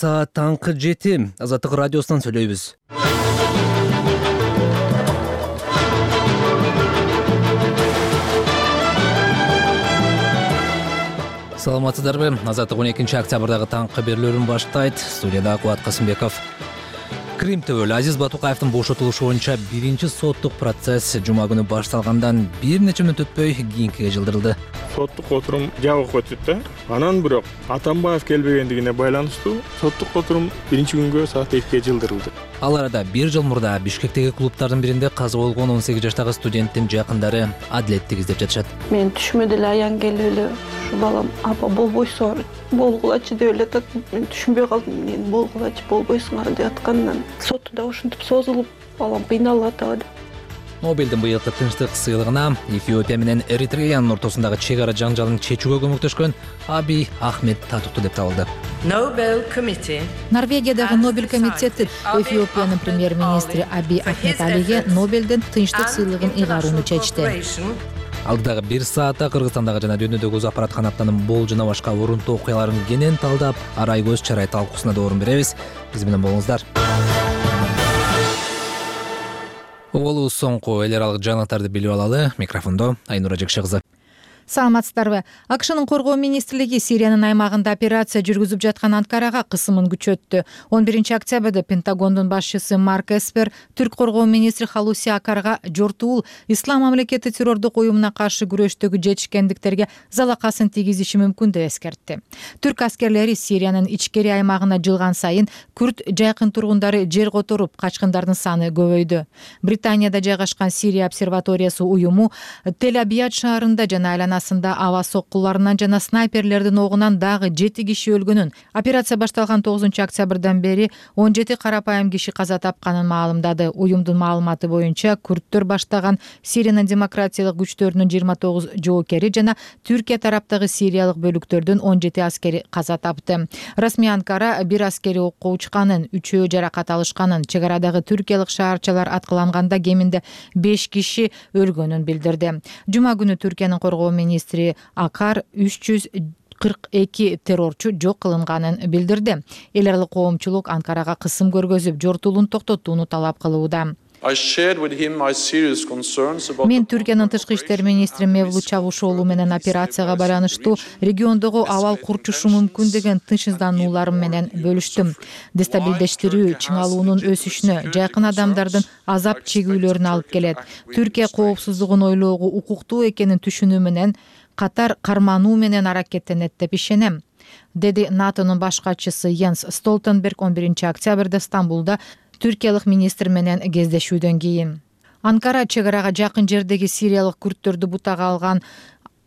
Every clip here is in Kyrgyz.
Саат таңкы 7 Азаттык радиосунан сүйлөйбүз. Саламатсыздарбы? Азаттык 12 октябрдагы таңкы берүүлөрүн баштайт. Студияда Кубат Касымбеков. Крим төбөлү Азиз Батукаевдин бошотулушу боюнча биринчи соттук процесс жума күнү башталгандан бир нече мүнөт өтпөй кийинкиге жылдырылды. Соттук отурум жабык өтүп да. Анан бирок Атамбаев келбегендигине байланыштуу соттук отурум биринчи күнгө саат 2ге жылдырылды. Ал арада бир жыл мурда Бишкектеги клубдардын биринде каза болгон 18 жаштагы студенттин жакындары адилеттик издеп жатышат. Мен түшүмө деле аян келип эле ушу балам апа болбойсуңар, болгулачы деп эле атат. Мен түшүнбөй калдым, мен болгулачы болбойсуңар деп аткандан соту да ушинтип созулуп, балам кыйналып атабы. Нобелдин быйылкы тынчтык сыйлыгына Эфиопия менен Эритреянын ортосундагы чек ара жаңжалын чечүүгө көмөктөшкөн Абий Ахмед татыктуу деп табылды. Норвегиядагы Нобель комитети Эфиопиянын премьер-министри Абий Ахмед Алиге Нобелдин тынчтык сыйлыгын ыйгарууну чечти. Алдагы 1 саатта Кыргызстандагы жана дүйнөдөгү өз аппараткан аптанын бол жана башка орунтуу окуяларын кенен талдап, арай көз чарай талкуусуна да орун беребиз. Биз менен болуңуздар. Угулуу соңку эл аралык жаңылыктарды билип алалы. Микрофондо Айнура Жекше кызы. Саламатсыздарбы? АКШнын коргоо министрлиги Сириянын аймагында операция жүргүзүп жаткан Анкарага кысымын күчөттү. 11 октябрда Пентагондун башчысы Марк Эспер түрк коргоо министри Халуси Акарга жортуул Ислам мамлекети террордук уюмуна каршы күрөштөгү жетишкендиктерге залакасын тийгизиши мүмкүн деп эскертти. Түрк аскерлери Сириянын ичкери аймагына жылган сайын күрд жайкын тургундары жер которуп, качкындардын саны көбөйдү. Британияда жайгашкан Сирия обсерваториясы уюму Тель-Абияд шаарында жана аба соккуларынан жана снайперлердин огунан дагы 7 киши өлгөнүн, операция башталган 9 октябрдан бери 17 карапайым киши каза тапканын маалымдады. Уюмдун маалыматы боюнча күрдтөр баштаган Сириянын демократиялык күчтөрүнүн 29 жоокери жана Түркия тараптагы сириялык бөлүктөрдүн 17 аскери каза тапты. Расмий Анкара бир аскери окко учканын, 3-өө жаракат алышканын, чек арадагы түркиялык шаарчалар аткыланганда кеминде 5 киши өлгөнүн билдирди. Жума күнү Түркиянын коргоо министри Акар 342 террорчу жок кылынганын билдирди. Эл аралык коомчулук Анкарага кысым көргөзүп, жортуулун токтотууну талап кылууда. Мен Түркиянын тышкы иштер министри Мевлут Чавушоğlu менен операцияга байланыштуу региондогу абал курчушу мүмкүн деген тынчсызданууларым менен бөлүштүм. Дестабилдештирүү чыңалуунун өсүшүнө, жайкын адамдардын азап чегүүлөрүнө алып келет. Түркия коопсуздугун ойлоого укуктуу экенин түшүнүү менен катар кармануу менен аракеттенет деп ишенем, деди НАТОнун баш катчысы Йенс Столтенберг 11 октябрда Стамбулда түркиялык министр менен кездешүүдөн кийин. Анкара чек арага жакын жердеги сириялык күрдтөрдү бутага алган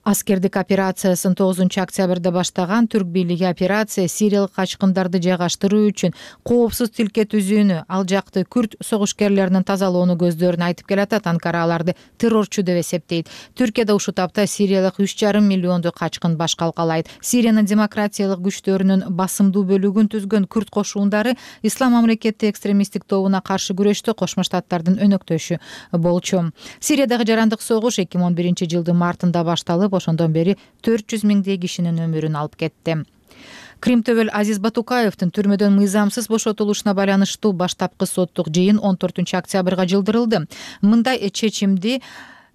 аскердик операциясын 9 октябрда баштаган. Түрк бийлиги операция сириялык качкындарды жайгаштыруу үчүн коопсуз тилке түзүүнү, ал жакты күрд согушкерлеринин тазалоону көздөрүн айтып келатат. Анкара аларды террорчу деп эсептейт. Түркияда ушул тапта сириялык 3,5 миллионду качкын баш калкалайт. Сириянын демократиялык күчтөрүнүн басымдуу бөлүгүн түзгөн күрд кошуундары Ислам мамлекети экстремисттик тобуна каршы күрөштө Кошмо Штаттардын өнөктөшү болчу. Сириядагы жарандык согуш 2011 жылдын мартында башталып, ошондон бери 400 миңдей кишинин өмүрүн алып кетти. Крим төбөл Азиз Батукаевдин түрмөдөн мыйзамсыз бошотулушуна байланыштуу баштапкы соттук жыйын 14 октябрга жылдырылды. Мындай чечимди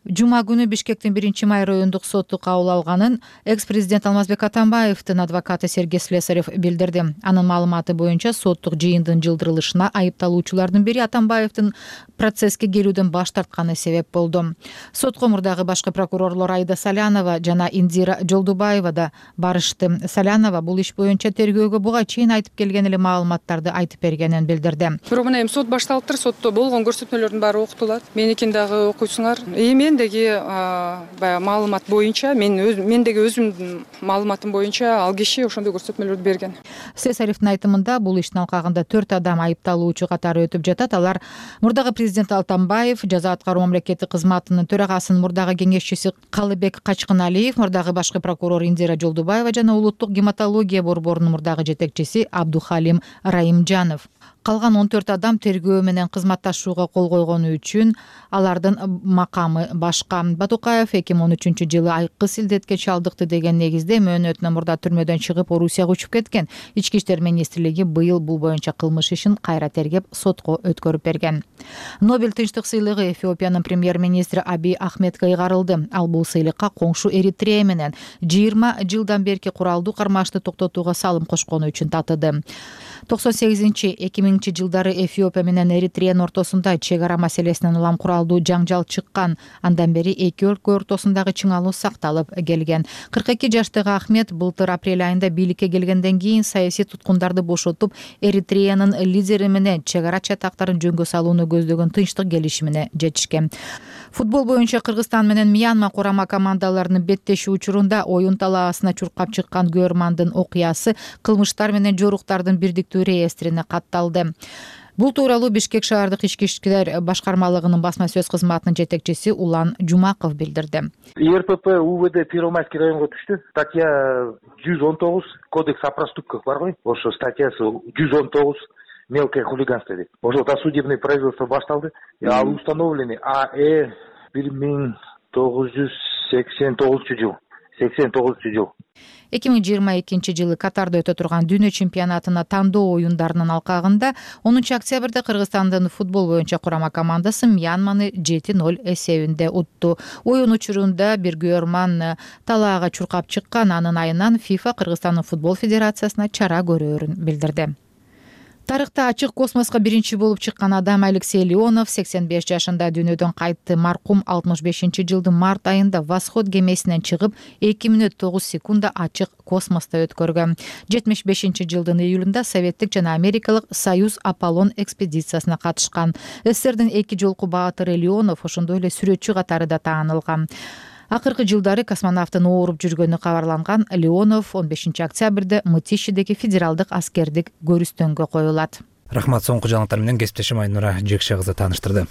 жума күнү Бишкектин 1-май райондук соту кабыл алганын экс-президент Алмазбек Атамбаевдин адвокаты Сергей Слесарев билдирди. Анын маалыматы боюнча соттук жыйындын жылдырылышына айыпталуучулардын бири Атамбаевдин процесске келүүдөн баш тартканы себеп болду. Сотко мурдагы башкы прокурорлор Айда Салянова жана Индира Жолдубаева да барышты. Салянова бул иш боюнча тергөөгө буга чейин айтып келген эле маалыматтарды айтып бергенин билдирди. Бирок мына эми сот башталыптыр, сотто болгон көрсөтмөлөрдүн баары окутулат. Меникин дагы окуйсуңар. Мендеги баягы маалымат боюнча, мендеги өзүмдүн маалыматым боюнча ал киши ошондой көрсөтмөлөрдү берген. Слесаревдин айтымында бул иштин алкагында 4 адам айыпталуучу катары өтүп жатат. Алар мурдагы президент Атамбаев, жаза аткаруу мамлекеттик кызматынын төрагасынын мурдагы кеңешчиси Калыбек Качкыналиев, мурдагы башкы прокурор Индира Жолдубаева жана улуттук гематология борборунун мурдагы жетекчиси Абдухалим Раимжанов. Калган 14 адам тергөө менен кызматташууга кол койгону үчүн алардын макамы башка. Батукаев 2013-жылы айкы силдетке чалдыкты деген негизде мөөнөтүнөн мурда түрмөдөн чыгып Орусияга учуп кеткен. Ички иштер министрлиги быйыл бул боюнча кылмыш ишин кайра тергеп сотко өткөрүп берген. Нобель тынчтык сыйлыгы Эфиопиянын премьер-министри Абий Ахмедке ыйгарылды. Ал бул сыйлыкка коңшу Эритрея менен 20 жылдан берки куралдуу кармашты токтотууга салым кошкону үчүн татыды. 98-2000 жылдары Эфиопия менен Эритреянын ортосунда чек ара маселесинен улам куралдуу жаңжал чыккан. Андан бери эки өлкө ортосундагы чыңалуу сакталып келген. 42 жаштагы Ахмед былтыр апрель айында бийликке келгенден кийин саясий туткундарды бошотуп, Эритреянын лидери менен чек ара чатактарын жөнгө салууну көздөгөн тынчтык келишимине жетишкен. Футбол боюнча Кыргызстан менен Мьянма курама командаларынын беттешүү учурунда оюн талаасына чуркап чыккан Гөрмандын окуясы кылмыштар менен жоруктардын бирдиктүү реестрине катталды. Бул тууралуу Бишкек шаардык ички иштер башкармалыгынын басма сөз кызматынын жетекчиси Улан Жумаков билдирди. ИРПП УВД Первомайский районго түштү. Статья 119 Кодекс о проступках бар го. Ошо статьясы 119 мелкое хулиганство дейт. Ошол досудебный производство башталды. Ал установлены АЭ 1989-жыл. 89-жыл. 2022 жылы Катарда өтө турган дүйнө чемпионатына тандоо оюндарынын алкагында 10 октябрда Кыргызстандын футбол боюнча курама командасы Мьянманы 7-0 эсебинде утту. Оюн учурунда бир Гөрман талаага чуркап чыккан. Анын айынан ФИФА Кыргызстандын футбол федерациясына чара көрөөрүн билдирди. Тарыхта ачык космоско биринчи болуп чыккан адам Алексей Леонов 85 жашында дүйнөдөн кайтты. Маркум 65-жылдын март айында Восход кемесинен чыгып 2 мүнөт 9 секунда ачык космосто өткөргөн. 75-жылдын июлунда советтик жана америкалык Союз Аполлон экспедициясына катышкан. СССРдин эки жолку баатыры Леонов ошондой эле сүрөтчү катары да таанылган. Акыркы жылдары космонавттын ооруп жүргөнү кабарланган. Леонов 15 октябрда Мытищидеги федералдык аскердик көрүстөнгө коюлат. Рахмат, соңку жаңылыктар менен кесиптешим Айнура Жекше кызы тааныштырды.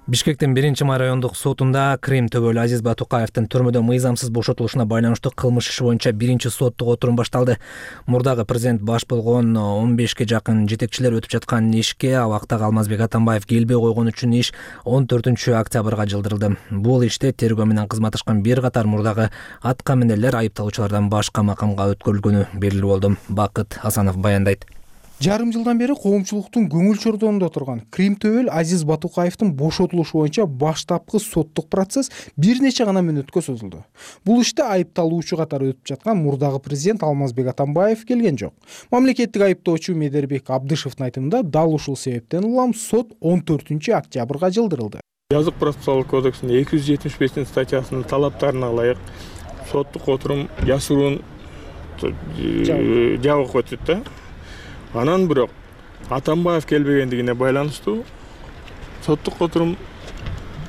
Бишкектин 1-май райондук сотунда Крим төбөлүү Азиз Батукаевдин түрмөдөн мыйзамсыз бошотулушуна байланыштуу кылмыш иши боюнча 1-соттук отурум башталды. Мурдагы президент баш болгон 15ке жакын жетекчилер өтүп жаткан ишке абактагы Алмазбек Атамбаев келбей койгон үчүн иш 14 октябрга жылдырылды. Бул иште тергөө менен кызматташкан бир катар мурдагы атка минерлер айыпталуучулардан башка макамга өткөрүлгөнү белгилүү болду. Бакыт Асанов баяндайт. Жарым жылдан бери коомчулуктун көңүл чордонунда турган Крим төбөл Азиз Батукаевдин бошотулушу боюнча баштапкы соттук процесс бир нече гана мүнөткө созулду. Бул иште айыпталуучу катары өтүп жаткан мурдагы президент Алмазбек Атамбаев келген жок. Мамлекеттик айыптоочу Медербек Абдышевдин айтымында дал ушул себептен улам сот 14 октябрга жылдырылды. Жазык процессуалдык кодексинин 275 статьясынын талаптарына ылайык соттук отурум яшыруун жабык өтүп да. Анан бирок Атамбаев келбегендигине байланыштуу соттук отурум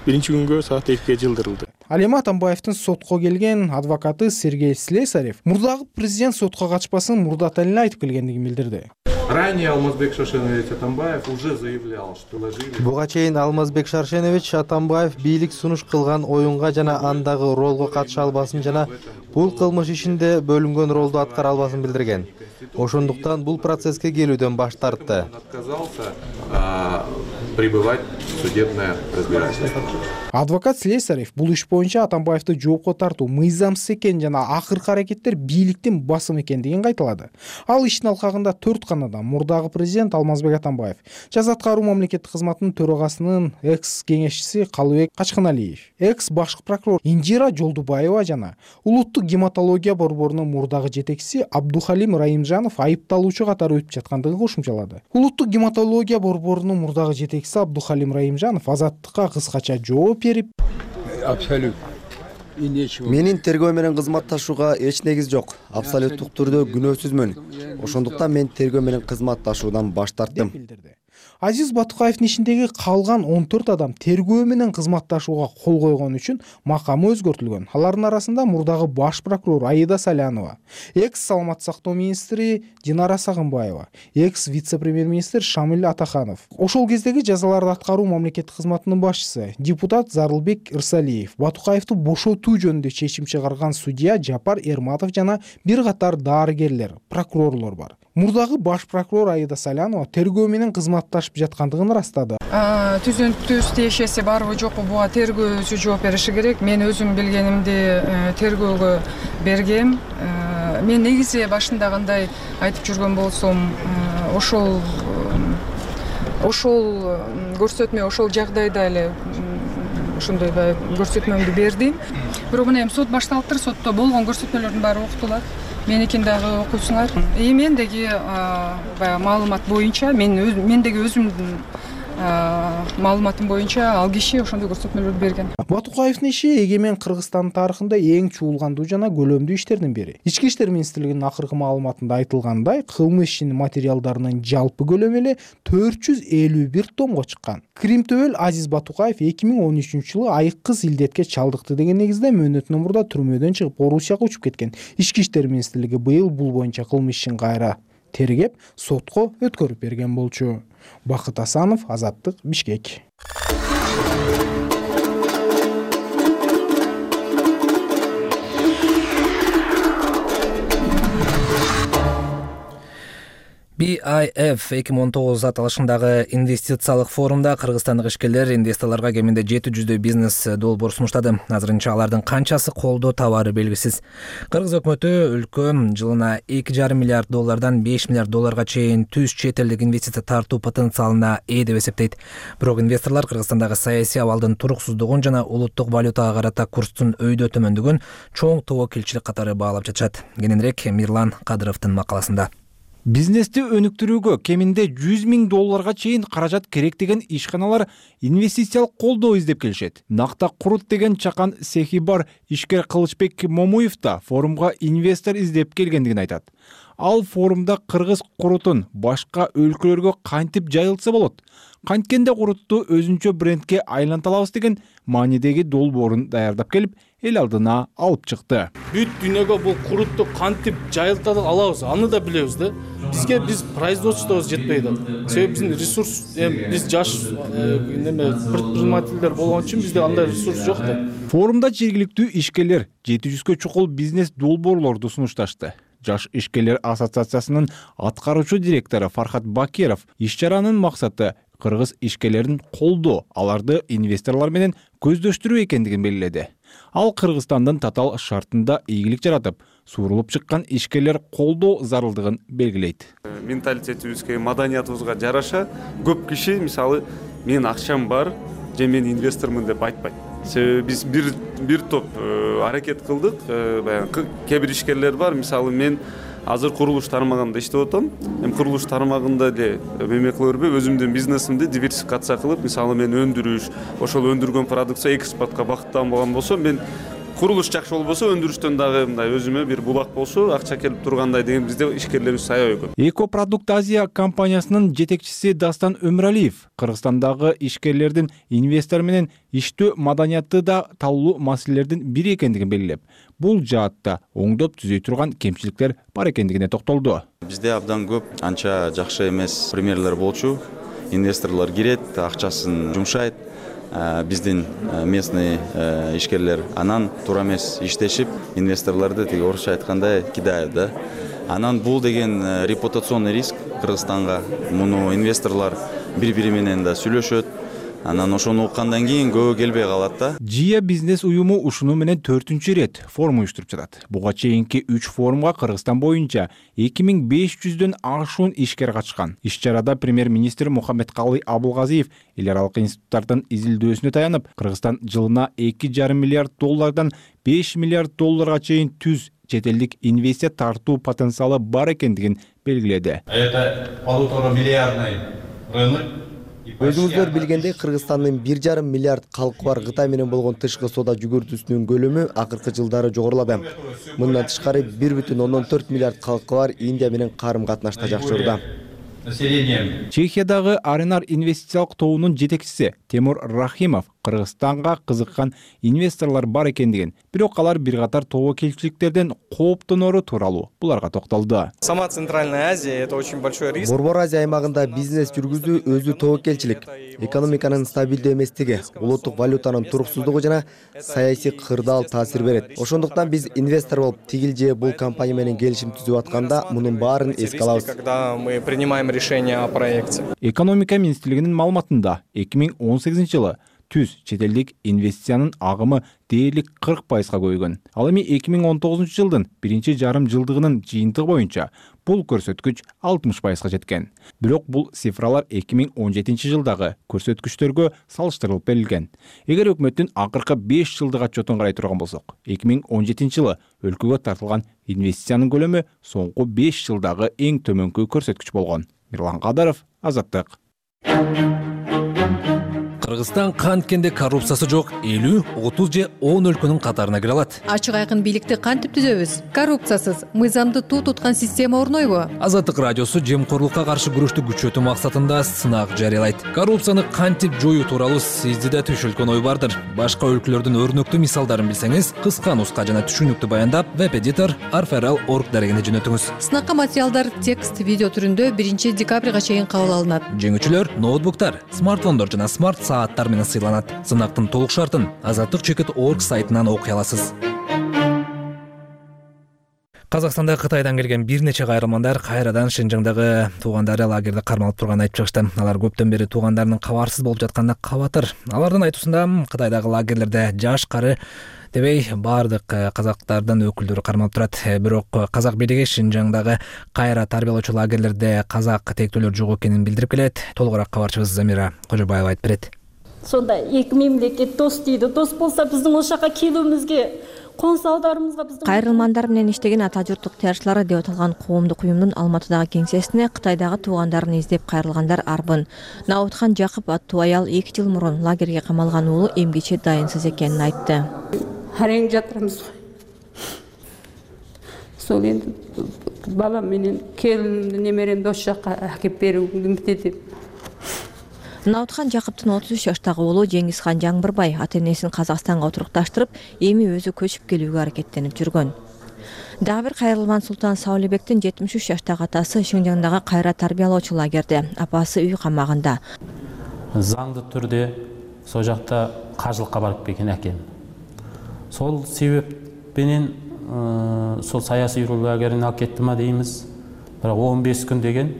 1-күнгө саат 2ге жылдырылды. Ал эми Атамбаевдин сотко келген адвокаты Сергей Слесарев мурдагы президент сотко качпасын мурдата эле айтып келгендигин билдирди. Ранее Алмазбек Шаршенович Атамбаев уже заявлял, что ложили. Буга чейин Алмазбек Шаршенович Атамбаев бийлик сунуш кылган оюнга жана андагы ролго катыша албасын жана бул кылмыш ишинде бөлүнгөн ролду аткара албасын билдирген. Ошондуктан бул процесске келүүдөн баш тартты. Отказался пребывать в судебное разбирательство. Адвокат Слесарев бул иш боюнча Атамбаевди жоопко тартуу мыйзамсыз экен жана акыркы аракеттер бийликтин басымы экендигин кайталады. Ал иштин алкагында 4 канадан мурдагы президент Алмазбек Атамбаев, жаза аткаруу мамлекеттик кызматынын төрагасынын экс-кеңешчиси Калыбек Качканалиев, экс-башкы прокурор Инжира Жолдубаева жана улуттук гематология борборунун мурдагы жетекчиси Абдухалим Раимжанов айыпталуучу катары өтүп жаткандыгын кошумчалады. Улуттук гематология борборунун мурдагы жетекчиси Абдухалим Раимжанов азаттыкка кыскача жооп берип, абсолютно менин тергөө менен кызматташууга эч негиз жок. Абсолюттук түрдө күнөөсүзмүн. Ошондуктан мен тергөө менен кызматташуудан баш тарттым. Азиз Батукаевдин ишиндеги калган 14 адам тергөө менен кызматташууга кол койгон үчүн макамы өзгөртүлгөн. Алардын арасында мурдагы баш прокурор Аида Салянова, экс саламаттык сактоо министри Динара Сагынбаева, экс вице-премьер-министр Шамил Атаханов. Ошол кездеги жазаларды аткаруу мамлекеттик кызматынын башчысы депутат Зарылбек Ирсалиев, Батукаевди бошотуу жөнүндө чечим чыгарган судья Жапар Эрматов жана бир катар дарыгерлер, прокурорлор бар. Мурдагы баш прокурор Аида Салянова тергөө менен кызматташып жаткандыгын ырастады. Түзүнтүс тиешеси барбы жокпу буга тергөөчү жооп бериши керек. Мен өзүм билгенимди тергөөгө бергем. Мен негизи башында кандай айтып жүргөн болсом, ошол көрсөтмө, ошол жагдайда эле ошондой көрсөтмөмдү бердим. Бирок мына эми сот башталыптыр, сотто болгон көрсөтмөлөрдүн баары окутулат. Меникин дагы окуйсуңар. Мендеги маалымат боюнча, мендеги өзүмдүн маалыматым боюнча ал киши ошондой көрсөтмөлөрдү берген. Батукаевдин иши эгемен Кыргызстандын тарыхында эң чуулгандуу жана көлөмдүү иштердин бири. Ички иштер министрлигинин акыркы маалыматында айтылгандай, кылмыш ишинин материалдарынын жалпы көлөмү эле 451 томго чыккан. Крим төбөл Азиз Батукаев 2013-жылы айыккыз илдетке чалдыкты деген негизде мөөнөтүнөн мурда түрмөдөн чыгып Орусияга учуп кеткен. Ички иштер министрлиги быйыл бул боюнча кылмыш ишин кайра тергеп, сотко өткөрүп берген болчу. Бакыт Асанов, Азаттык, Бишкек. BIF 2019 аталышындагы инвестициялык форумда кыргызстандык ишкерлер инвесторлорго кеминде 700 бизнес долбоор сунуштады. Азырынча алардын канчасы колдоо табары белгисиз. Кыргыз өкмөтү өлкө жылына 2,5 миллиард доллардан 5 миллиард долларга чейин түз чет элдик инвестиция тартуу потенциалына ээ деп эсептейт. Бирок инвесторлор Кыргызстандагы саясий абалдын туруксуздугун жана улуттук валютага карата курстун өйдө төмөндүгүн чоң тобокелчилик катары баалап жатышат. Кененирээк Мирлан Кадыровдун макаласында. Бизнести өнүктүрүүгө кеминде 100 000 долларга чейин каражат керек деген ишканалар инвестициялык колдоо издеп келишет. Накта курут деген чакан цехи бар ишкер Кылычбек Момуев да форумга инвестор издеп келгендигин айтат. Ал форумда кыргыз курутун башка өлкөлөргө кантип жайылтса болот, канткенде курутту өзүнчө брендке айланта алабыз деген маанидеги долбоорун даярдап келип, эл алдына алып чыкты. Бүт дүйнөгө бул курутту кантип жайылта алабыз, аны да билебиз да. Бизге биз производствобуз жетпейт. Себеби биздин ресурс, биз жаш предпринимательдер болгон үчүн бизде андай ресурс жок да. Форумда жергиликтүү ишкерлер 700-кө чукул бизнес долбоорлорду сунушташты. Жаш ишкерлер ассоциациясынын аткаруучу директору Фархат Бакиров иш чаранын максаты кыргыз ишкерлерин колдоо, аларды инвесторлор менен көздөштүрүү экендигин белгиледи. Ал Кыргызстандын татаал шартында ийгилик жаратып, суурулуп чыккан ишкерлер колдоо зарылдыгын белгилейт. Менталитетибизге, маданиятыбызга жараша көп киши мисалы менин акчам бар же мен инвестормун деп айтпайт. Себеби биз бир топ аракет кылдык. Баягы кээ бир ишкерлер бар, мисалы мен азыр курулуш тармагында иштеп атам. Эми курулуш тармагында эле эме кыла бербей, өзүмдүн бизнесимди диверсификация кылып, мисалы мен өндүрүш, ошол өндүргөн продукция экспортко багытталган болсо, мен курулуш жакшы болбосо, өндүрүштөн дагы мындай өзүмө бир булак болсо, акча келип тургандай деген бизде ишкерлерибиз аябай көп. Экопродукт Азия компаниясынын жетекчиси Дастан Өмүралиев Кыргызстандагы ишкерлердин инвестор менен иштөө маданияты да талуу маселелердин бири экендигин белгилеп, бул жаатта оңдоп түзөй турган кемчиликтер бар экендигине токтолду. Бизде абдан көп анча жакшы эмес примерлер болчу. Инвесторлор кирет, акчасын жумшайт. Биздин местный ишкерлер анан туура эмес иштешип, инвесторлорду тиги орусча айткандай кидают да. Анан бул деген репутационный риск Кыргызстанга. Муну инвесторлор бири-бири менен да сүйлөшөт. Анан ошону уккандан кийин көбү келбей калат да. Жия бизнес уюму ушуну менен 4-чү рет форум уюштуруп жатат. Буга чейинки 3 форумга Кыргызстан боюнча 2500дөн ашуун ишкер катышкан. Иш чарада премьер-министр Мухаммедкалый Абылгазиев эл аралык институттардын изилдөөсүнө таянып, Кыргызстан жылына 2,5 миллиард доллардан 5 миллиард долларга чейин түз чет элдик инвестиция тартуу потенциалы бар экендигин белгиледи. Это 1,5 миллиардный рынок. Өзүңүздөр билгендей, Кыргызстандын 1,5 миллиард калкы бар Кытай менен болгон тышкы соода жүгүртүүсүнүн көлөмү акыркы жылдары жогорулады. Мындан тышкары 1,4 миллиард калкы бар Индия менен карым катнашта жакшы жордо. населением. Чехиядагы Аренар инвестициялык тобунун жетекчиси Темур Рахимов Кыргызстанга кызыккан инвесторлор бар экендигин, бирок алар бир катар тобокелчиликтерден кооптонору тууралуу буларга токтолду. Сама Центральная Азия — это очень большой риск. Борбор Азия аймагында бизнес жүргүзүү өзү тобокелчилик, экономиканын стабилдүү эместиги, улуттук валютанын туруксуздугу жана саясий кырдаал таасир берет. Ошондуктан биз инвестор болуп тигил же бул компания менен келишим түзүп атканда мунун баарын эске алабыз. Когда мы принимаем решение о проекте. Экономика министрлигинин маалыматында 2018-жылы түз чет элдик инвестициянын агымы дээрлик 40%га көбөйгөн. Ал эми 2019-жылдын биринчи жарым жылдыгынын жыйынтыгы боюнча бул көрсөткүч 60%га жеткен. Бирок бул цифралар 2017-жылдагы көрсөткүчтөргө салыштырылып берилген. Эгер өкмөттүн акыркы 5 жылдык отчетун карай турган болсок, 2017-жылы өлкөгө тартылган инвестициянын көлөмү соңку 5 жылдагы эң төмөнкү көрсөткүч болгон. Мирлан Кадаров, Азаттык. Кыргызстан канткенде коррупциясы жок 50, 30 же 10 өлкөнүн катарына кире алат. Ачык айкын бийликти кантип түзөбүз? Коррупциясыз, мыйзамды туу туткан система орнойбу? Азаттык радиосу жемкорлукка каршы күрөштү күчөтүү максатында сынак жарыялайт. Коррупцияны кантип жоюу тууралуу сизде да түшүлгөн ой бардыр. Башка өлкөлөрдүн өрнөктүү мисалдарын билсеңиз, кыска нуска жана түшүнүктүү баяндап, веб-эдитор arferal.org дарегине жөнөтүңүз. Сынакка материалдар текст, видео түрүндө 1 декабрга чейин кабыл алынат. Жеңүүчүлөр ноутбуктар, смартфондор жана смарт сааттар менен сыйланат. Сынактын толук шартын azattik.org сайтынан окуй аласыз. Казакстанда Кытайдан келген бир нече кайрылмандар кайрадан Шинжаңдагы туугандары лагерде кармалып турганын айтып чыгышты. Алар көптөн бери туугандарынын кабарсыз болуп жатканына кабатыр. Алардын айтуусунда Кытайдагы лагерлерде жаш кары дебей баардык казактардын өкүлдөрү кармалып турат. Бирок казак бийлиги Шинжаңдагы кайра тарбиялоочу лагерлерде казак тектүүлөр жок экенин билдирип келет. Толугураак кабарчыбыз Замира Кожобаева айтып берет. Сонда эки мемлекет дос дейди. Дос болсо биздин ошол жака келүүбүзгө Кайрылмандар менен иштеген ата журттук тыярчылары деп аталган коомдук уюмдун Алматыдагы кеңсесине Кытайдагы туугандарын издеп кайрылгандар арбын. Наутхан Жакып аттуу аял 2 жыл мурун лагерге камалган уулу эмгиче дайынсыз экенин айтты. Харең жатырмыз. Сол энди балам менен келинимди немеремди ошол жака акеп берүүгүм деп. Наутхан Жакыптын 33 жаштагы уулу Жеңизхан Жаңбырбай ата-энесин Казакстанга отурукташтырып, эми өзү көчүп келүүгө аракеттенип жүргөн. Дагы бир кайрылман Султан Саулебектин 73 жаштагы атасы Шинжаңдагы кайра тарбиялоочу лагерде, апасы үй камагында. Заңдуу түрдө сол жакта кажылыкка барып келген экен. Сол себеп менен сол саясий лагерине алып кеттима дейбиз. Бирок 15 күн деген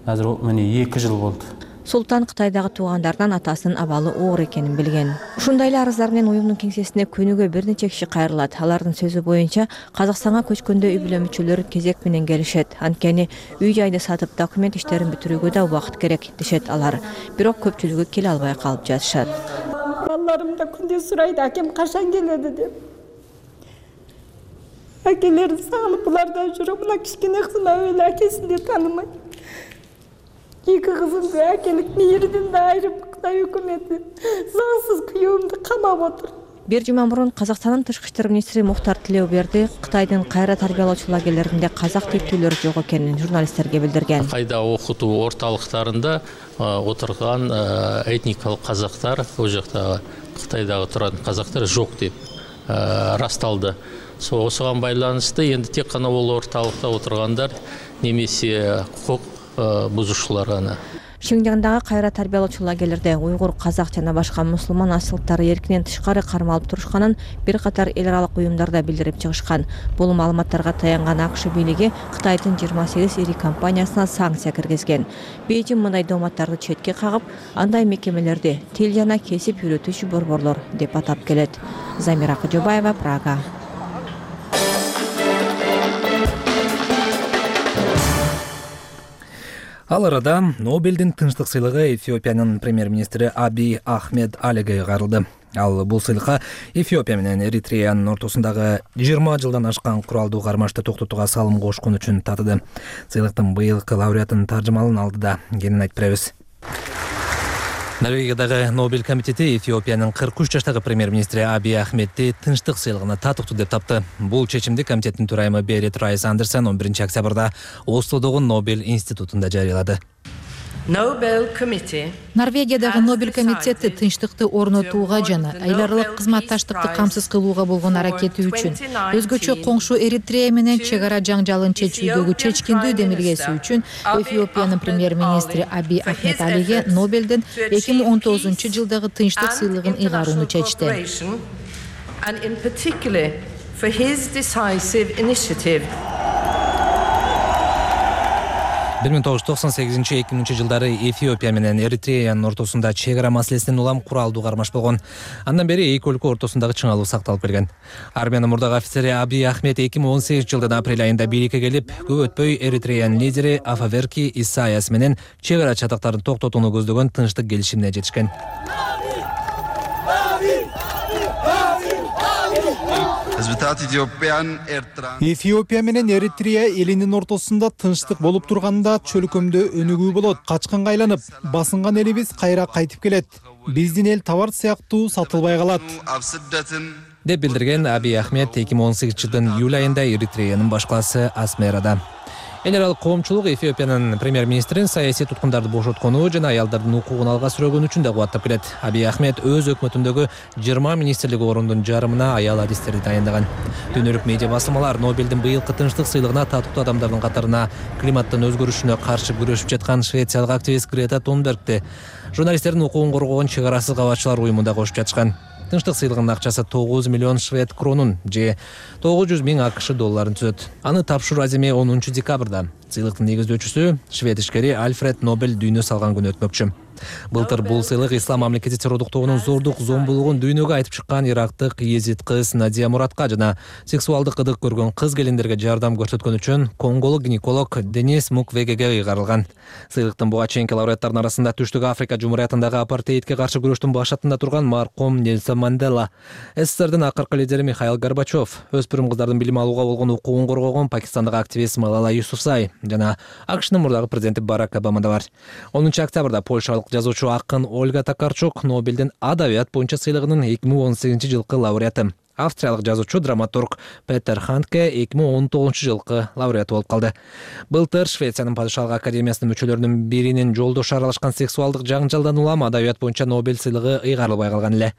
азыр мени 2 жыл болду. Султан Кытайдагы туугандардан атасынын абалы оор экенин билген. Ушундай эле арыздар менен уюмдун кеңсесине күнүгө бир нече киши кайрылат. Алардын сөзү боюнча Казакстанга көчкөндө үй бүлө мүчөлөрү кезек менен келишет. Анткени үй жайды сатып документ иштерин бүтүрүүгө да убакыт керек дешет алар. Бирок көпчүлүгү келе албай калып жатышат. Балдарым да күндө сурайт, акем качан келеди деп. Акелерин сагынып булардан жүрөм, мына кичкене кызым эле акесин да таанымайт. Эки кызымды акелик мээрден да айырып Кытай өкмөтү заңсыз күйөөмдү камап отур. Бир жума мурун Казакстандын тышкы иштер министри Мухтар Тилеуберди Кытайдын кайра тарбиялоочу лагерлеринде казак тектүүлөр жок экенин журналисттерге билдирген. Кайда окутуу орталыктарында отурган этникалык казактар, ол жакта Кытайдагы турган казактар жок деп расталды. Осуга байланыштуу энди тек гана бул орталыкта отургандар немесе укук бузушулар гана. Шинжаңдагы кайра тарбиялоочу лагерлерде уйгур, казак жана башка мусулман асылдары эркинен тышкары кармалып турушканын бир катар эл аралык уюмдарда билдирип чыгышкан. Бул маалыматтарга таянган АКШ бийлиги Кытайдын 28 ири компаниясына санкция киргизген. Бейжиң мындай дооматтарды четке кагып, андай мекемелерди тил жана кесип үйрөтүүчү борборлор деп атап келет. Замира Кожобаева, Прага. Ал арада Нобелдин тынчтык сыйлыгы Эфиопиянын премьер-министри Аби Ахмед Алиге кайрылды. Ал бул сыйлыкка Эфиопия менен Эритреянын ортосундагы 20 жылдан ашкан куралдуу кармашты токтотууга салым кошкон үчүн татыды. Сыйлыктын быйылкы лауреатын таржымалын алды да кенен айтып беребиз. Норвегиядагы Нобель комитети Эфиопиянын 43 жаштагы премьер-министри Аби Ахмедти тынчтык сыйлыгына татыктуу деп тапты. Бул чечимди комитеттин төрайымы Берет Райс Андерсен 11 октябрда Ослодогу Нобель институтунда жарыялады. Норвегиядагы Нобель комитети тынчтыкты орнотууга жана эл аралык кызматташтыкты камсыз кылууга болгон аракети үчүн, өзгөчө коңшу Эритрея менен чек ара жаңжалын чечүүдөгү чечкиндүү демилгеси үчүн Эфиопиянын премьер-министри Аби Ахмед Алиге Нобелден 2019-жылдагы тынчтык сыйлыгын ыйгарууну чечти. 1998-2000 жылдары Эфиопия менен Эритреянын ортосунда чек ара маселесинен улам куралдуу кармаш болгон. Андан бери эки өлкө ортосундагы чыңалуу сакталып келген. Армиянын мурдагы офицери Аби Ахмед 2018-жылдын апрель айында бийликке келип, көп өтпөй Эритреянын лидери Афаверки Исаяс менен чек ара чатактарын токтотууну көздөгөн тынчтык келишимине жетишкен. Эфиопия менен Эритрея элинин ортосунда тынчтык болуп турганда чөлкөмдө өнүгүү болот. Качканга айланып, басынган элибиз кайра кайтып келет. Биздин эл товар сыяктуу сатылбай калат, деп билдирген Аби Ахмед 2018-жылдын июль айында Эритреянын баш калаасы Асмерада. Эл аралык коомчулук Эфиопиянын премьер-министрин саясий туткундарды бошоткону жана аялдардын укугун алга сүрөгөн үчүн да кубаттап келет. Аби Ахмед өз өкмөтүндөгү 20 министрлик орондун жарымына аял адистерди дайындаган. Дүйнөлүк медиа басылмалар Нобелдин быйылкы тынчтык сыйлыгына татыктуу адамдардын катарына климаттын өзгөрүшүнө каршы күрөшүп жаткан швециялык активист Грета Тунбергти, журналисттердин укугун коргогон чек арасыз кабатчылар уюмунда кошуп жатышкан. Тынчтык сыйлыгынын акчасы 9 миллион швед кронун же 900 000 АКШ долларын түзөт. Аны тапшыруу аземи 10 декабрда. Сыйлыктын негиздөөчүсү швед ишкери Альфред Нобель дүйнө салган күнү өтмөкчү. Былтыр бул сыйлык ислам мамлекети террордук тобунун зордук зомбулугун дүйнөгө айтып чыккан ирактык езид кыз Надия Муратка жана сексуалдык ыдык көргөн кыз келиндерге жардам көрсөткөн үчүн конголук гинеколог Денис Муквегеге ыйгарылган. Сыйлыктын буга чейинки лауреаттарынын арасында Түштүк Африка Жумуриятындагы апартеидке каршы күрөштүн башатында турган марком Нельсон Мандела, СССРдин акыркы лидери Михаил Горбачев, өспүрүм кыздардын билим алууга болгон укугун коргогон пакистандык активист Малала Юсуфзай жана АКШнын мурдагы президенти Барак Обама да бар. 10 октябрда польшалык жазуучу акын Ольга Токарчук Нобелдин адабият боюнча сыйлыгынын 2018-жылкы лауреаты. Австриялык жазуучу драматург Петер Хандке 2019-жылкы лауреаты болуп калды. Былтыр Швециянын падышалык академиясынын мүчөлөрүнүн биринин жолдошу аралашкан сексуалдык жаңжалдан улам адабият боюнча Нобель сыйлыгы ыйгарылбай калган эле.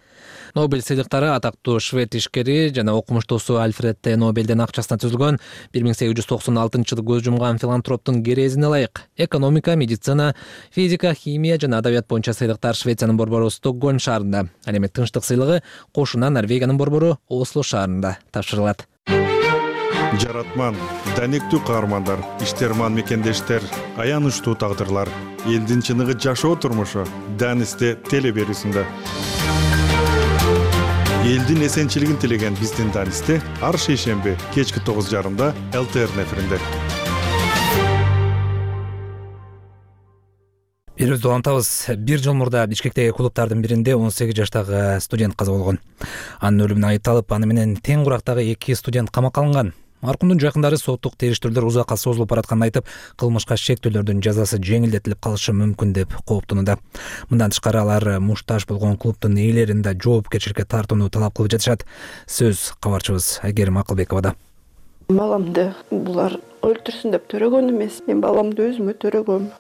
Нобель сыйлыктары атактуу швед ишкери жана окумуштуусу Альфред Т. Нобелдин акчасына түзүлгөн 1896-жылы көз жумган филантроптун керезине ылайык. Экономика, медицина, физика, химия жана адабият боюнча сыйлыктар Швециянын борбору Стокгольм шаарында, ал эми тынчтык сыйлыгы кошуна Норвегиянын борбору Осло шаарында тапшырылат. Жаратман, данектүү каармандар, иштерман мекендештер, аянычтуу тагдырлар, элдин чыныгы жашоо турмушу Данисте теле берүүсүндө. Элдин эсенчилигин тилеген биздин Данисте ар шейшемби кечки 9:30 ЛТР эфиринде. Бирибизди улантабыз. Бир жыл мурда Бишкектеги клубтардын биринде 18 жаштагы студент каза болгон. Анын өлүмүнө айыпталып, аны менен тең курактагы 2 студент камакка алынган. Маркумдун жакындары соттук териштирүүлөр узакка созулуп баратканын айтып, кылмышка шектүүлөрдүн жазасы жеңилдетилип калышы мүмкүн деп кооптонууда. Мындан тышкары алар муштаж болгон клубдун ээлерин да жоопкерчиликке тартууну талап кылып жатышат. Сөз кабарчыбыз Айгерим Акылбековада. Баламды булар өлтүрсүн деп төрөгөн эмес, мен баламды өзүмө төрөгөм.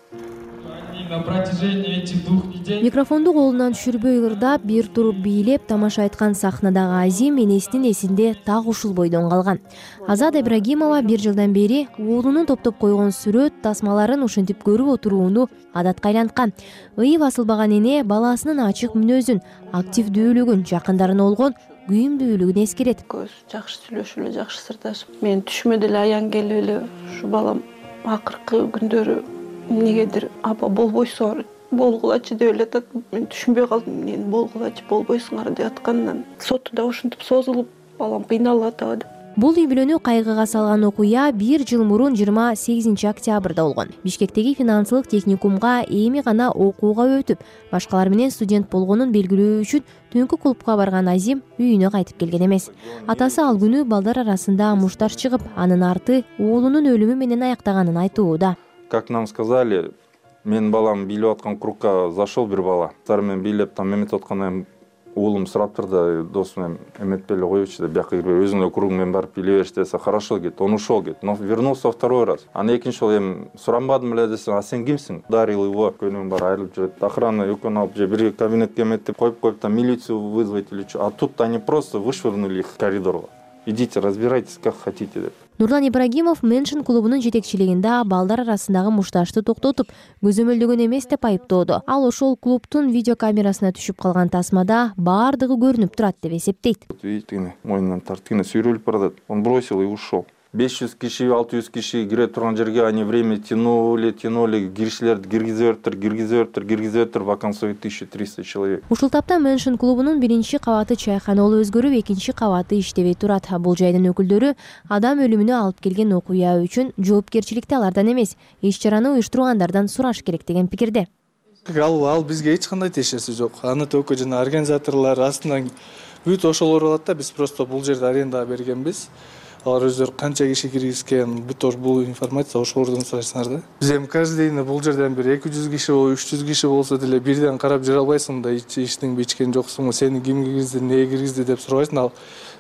Микрофонду колунан түшүрбөй ырдап, бир туруп бийлеп тамаша айткан сахнадагы Азим энесинин эсинде так ушул бойдон калган. Азат Ибрагимова бир жылдан бери уулунун топтоп койгон сүрөт тасмаларын ушинтип көрүп отурууну адатка айланткан. Ыйы басылбаган эне баласынын ачык мүнөзүн, активдүүлүгүн, жакындарына болгон күйүмдүүлүгүн эскерет. Көз жакшы сүйлөшүп эле, жакшы сырдашып, мен түшүмө деле аян келип эле ушу балам акыркы күндөрү эмнегедир апа болбойсуңар, болгулачы деп эле атат. Мен түшүнбөй калдым, эмнени болгулачы, болбойсуңар деп аткандан соту да ушинтип созулуп, балам кыйналып атабы деп. Бул үй бүлөнү кайгыга салган окуя бир жыл мурун 28 октябрда болгон. Бишкектеги финансылык техникумга эми гана окууга өтүп, башкалар менен студент болгонун белгилөө үчүн түнкү клубка барган Азим үйүнө кайтып келген эмес. Атасы ал күнү балдар арасында мушташ чыгып, анын арты уулунун өлүмү менен аяктаганын айтууда. Как нам сказали, мен балам бийлеп аткан кругка зашел бир бала. Сар мен бийлеп там эметип атканда уулум сураптыр да, досум эметпей эле коечу деп, бияка кирбей өзүңдүн округуң менен барып биле бериш десе, хорошо кет, он ушел кет. Но вернулся второй раз. Аны экинчи жолу эми суранбадым эле десем, а сен кимсиң? Ударил его, көнүм бар айрылып жүрөт. Охрана экөөнү алып же бир кабинетке эметип коюп там милицию вызвать или что. А тут они просто вышвырнули их в коридор. Идите, разбирайтесь как хотите деп. Нурлан Ибрагимов Меншин клубунун жетекчилигинде балдар арасындагы мушташты токтотуп, көзөмөлдөгөн эмес деп айыптоодо. Ал ошол клубтун видеокамерасына түшүп калган тасмада баардыгы көрүнүп турат деп эсептейт. Видите, мойнунан тартып сүйрөлүп баратат. Он бросил и ушел. 500 киши, 600 киши кире турган жерге они время тянули, киришилерди киргизип, вакансия 1300 человек. Ушул тапта Меншин клубунун биринчи кабаты чайканалы өзгөрүп, экинчи кабаты иштебей турат. Бул жайдын өкүлдөрү адам өлүмүнө алып келген окуя үчүн жоопкерчиликти алардан эмес, иш-чараны уюштургандардан сураш керек деген пикирде. Ал бизге эч кандай тиешеси жок. Аны только жана организаторлор астынан бүт ошолор болот да, биз просто бул жерде арендага бергенбиз. Алар өздөрү канча киши киргизген, бүт бул информация ошолордон сурайсыңар да. Биз эми каждый день бул жерден бир 200 киши, 300 киши болсо деле бирден карап жүрө албайсың да, ичтиңби ичкен жоксуңбу, сени ким киргизди, эмне киргизди деп сурабайсың. Ал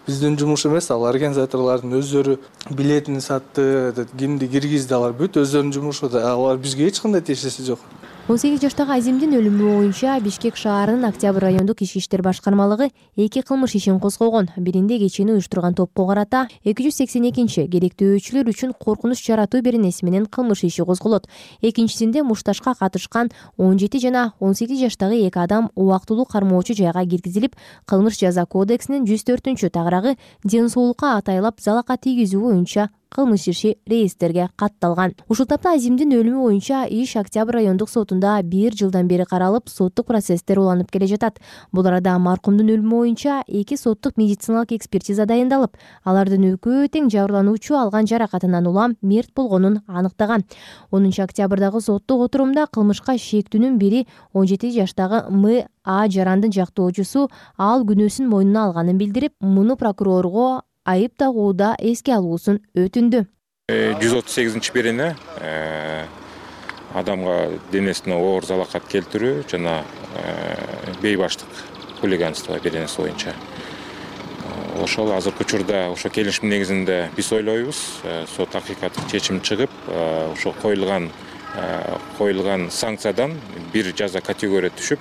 биздин жумуш эмес, ал организаторлордун өздөрү билетин сатты, кимди киргизди, алар бүт өздөрүнүн жумушу да. Алар бизге эч кандай тиешеси жок. 18 жаштагы Азимдин өлүмү боюнча Бишкек шаарынын Октябрь райондук ички иштер башкармалыгы 2 кылмыш ишин козгогон. Биринде кечени уюштурган топко карата 282-чи керектөөчүлөр үчүн коркунуч жаратуу беренеси менен кылмыш иши козголот. Экинчисинде мушташка катышкан 17 жана 18 жаштагы 2 адам убактылуу кармоочу жайга киргизилип, кылмыш жаза кодексинин 104 тарагы ден соолукка атайлап залака тийгизүү боюнча кылмыш иши реестрге катталган. Ушул тапта Азимдин өлүмү боюнча иш Октябрь райондук сотунда 1 жылдан бери каралып, соттук процесстер уланып келе жатат. Бул арада маркумдун өлүмү боюнча 2 соттук медициналык экспертиза дайындалып, алардын экөө тең жабырлануучу алган жаракатынан улам мерт болгонун аныктаган. 10 октябрдагы соттук отурумда кылмышка шектүүнүн бири 17 жаштагы М.А. Жарандын жактоочусу ал күнөөсүн мойнуна алганын билдирип, муну прокурорго айып тагууда эске алуусун өтүндү. 138 берене адамга денесине оор залакат келтирүү жана бейбаштык хулиганство беренеси боюнча. Ошол азыркы учурда ошо келишим негизинде биз ойлойбуз, сот акыйкаттык чечим чыгып, ошо коюлган санкциядан бир жаза категория түшүп,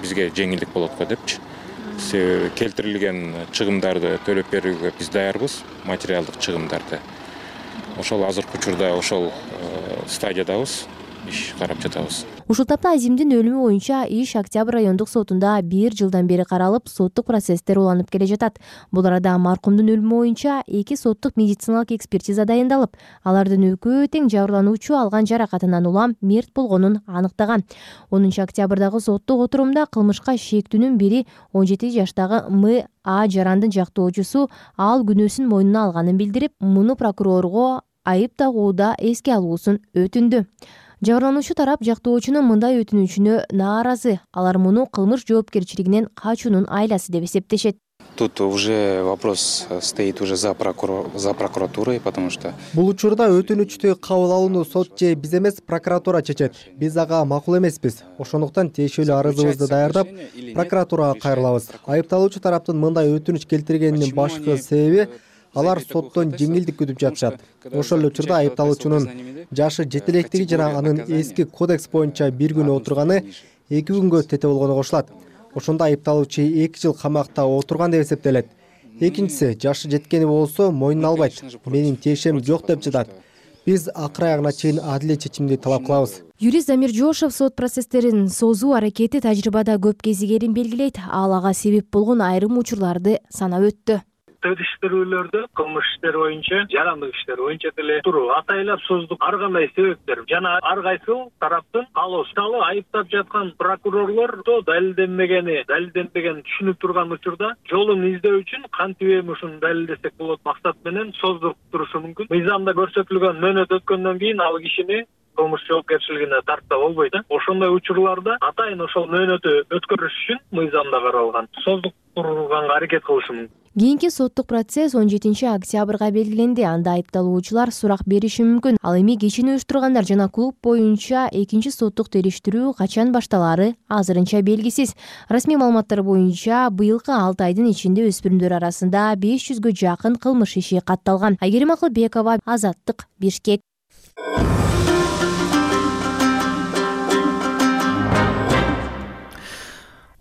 бизге жеңилдик болот го депчи. Келтирилген чыгымдарды төлөп берүүгө биз даярбыз, материалдык чыгымдарды. Ошол азыркы учурда ошол стадиядабыз, иш карап жатабыз. Ушул тапта Азимдин өлүмү боюнча иш Октябрь райондук сотунда 1 жылдан бери каралып, соттук процесстер уланып келе жатат. Бул арада маркумдун өлүмү боюнча 2 соттук медициналык экспертиза дайындалып, алардын экөө тең жабырлануучу алган жаракатынан улам мерт болгонун аныктаган. 10 октябрдагы соттук отурумда кылмышка шектүүнүн бири 17 жаштагы М.А. Жарандын жактоочусу ал күнөөсүн мойнуна алганын билдирип, муну прокурорго айып тагууда эске алуусун өтүндү. Жабырлануучу тарап жактоочунун мындай өтүнүчүнө нааразы. Алар муну кылмыш жоопкерчилигинен качуунун айласы деп эсептешет. Тут уже вопрос стоит уже за прокуратурой, потому что бул учурда өтүнүчтү кабыл алууну сот же биз эмес, прокуратура чечет. Биз ага макул эмеспиз. Ошондуктан тиешелүү арызыбызды даярдап, прокуратурага кайрылабыз. Айыпталуучу тараптын мындай өтүнүч келтиргенинин башкы себеби алар соттон жеңилдик күтүп жатышат. Ошол эле учурда айыпталуучунун жашы жетелектиги жана анын эски кодекс боюнча 1 күн отурганы 2 күнгө тете болгону кошулат. Ошондо айыпталуучу 2 жыл камакта отурган деп эсептелет. Экинчиси, жашы жеткени болсо мойнуна албайт. Менин тиешем жок деп жатат. Биз акыр аягына чейин адилет чечимди талап кылабыз. Юрист Замир Жошев сот процесстерин созуу аракети тажрыйбада көп кезигерин белгилейт. Ал ага себеп болгон айрым учурларды санап өттү. Териштирүүлөрдө кылмыш иштери боюнча, жарандык иштер боюнча деле туруп атайлап создук ар кандай себептер жана ар кайсы тараптын каалоосу айыптап жаткан прокурорлор далилденбеген түшүнүп турган учурда жолун издөө үчүн кантип эми ушуну далилдесек болот максат менен создуруп турушу мүмкүн. Мыйзамда көрсөтүлгөн мөөнөт өткөндөн кийин ал кишини кылмыш жоопкерчилигине тартса болбойт. Ошондой учурларда атайын ошол мөөнөтү өткөрүш үчүн мыйзамда каралган создук турганга аракет кылышы мүмкүн. Кийинки соттук процесс 17 октябрга белгиленди. Анда айыпталуучулар сурак бериши мүмкүн. Ал эми кечини уюштургандар жана клуб боюнча экинчи соттук териштирүү качан башталаары азырынча белгисиз. Расмий маалыматтар боюнча быйылкы 6 айдын ичинде өспүрүмдөр арасында 500гө жакын кылмыш иши катталган. Айгерим Акылбекова, Азаттык, Бишкек.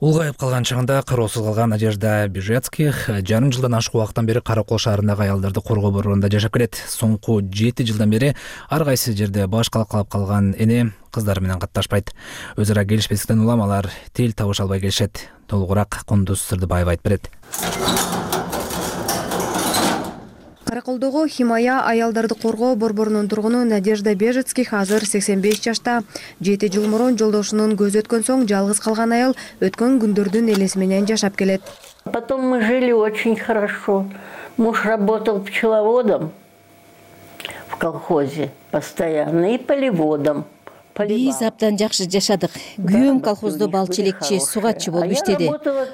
Улгайып калган чагында кароосуз калган Надежда Бежецких жарым жылдан ашык убакыттан бери Каракол шаарындагы аялдарды коргоо борборунда жашап келет. Соңку 7 жылдан бери ар кайсы жерде баш калкалап калган эне кыздары менен катташпайт. Өз ара келишпестиктен улам алар тил табыша албай келишет. Толугураак Кундуз Сырдыбаева айтып берет. Караколдогу Химая аялдарды коргоо борборунун тургуну Надежда Бежецких азыр 85 жашта. 7 жыл мурун жолдошунун көзү өткөн соң жалгыз калган аял өткөн күндөрдүн элеси менен жашап келет. Потом мы жили очень хорошо. Муж работал пчеловодом в колхозе постоянно и полеводом. Биз абдан жакшы жашадык. Күйөөм колхоздо балчы элекчи, сугатчы болуп иштеди.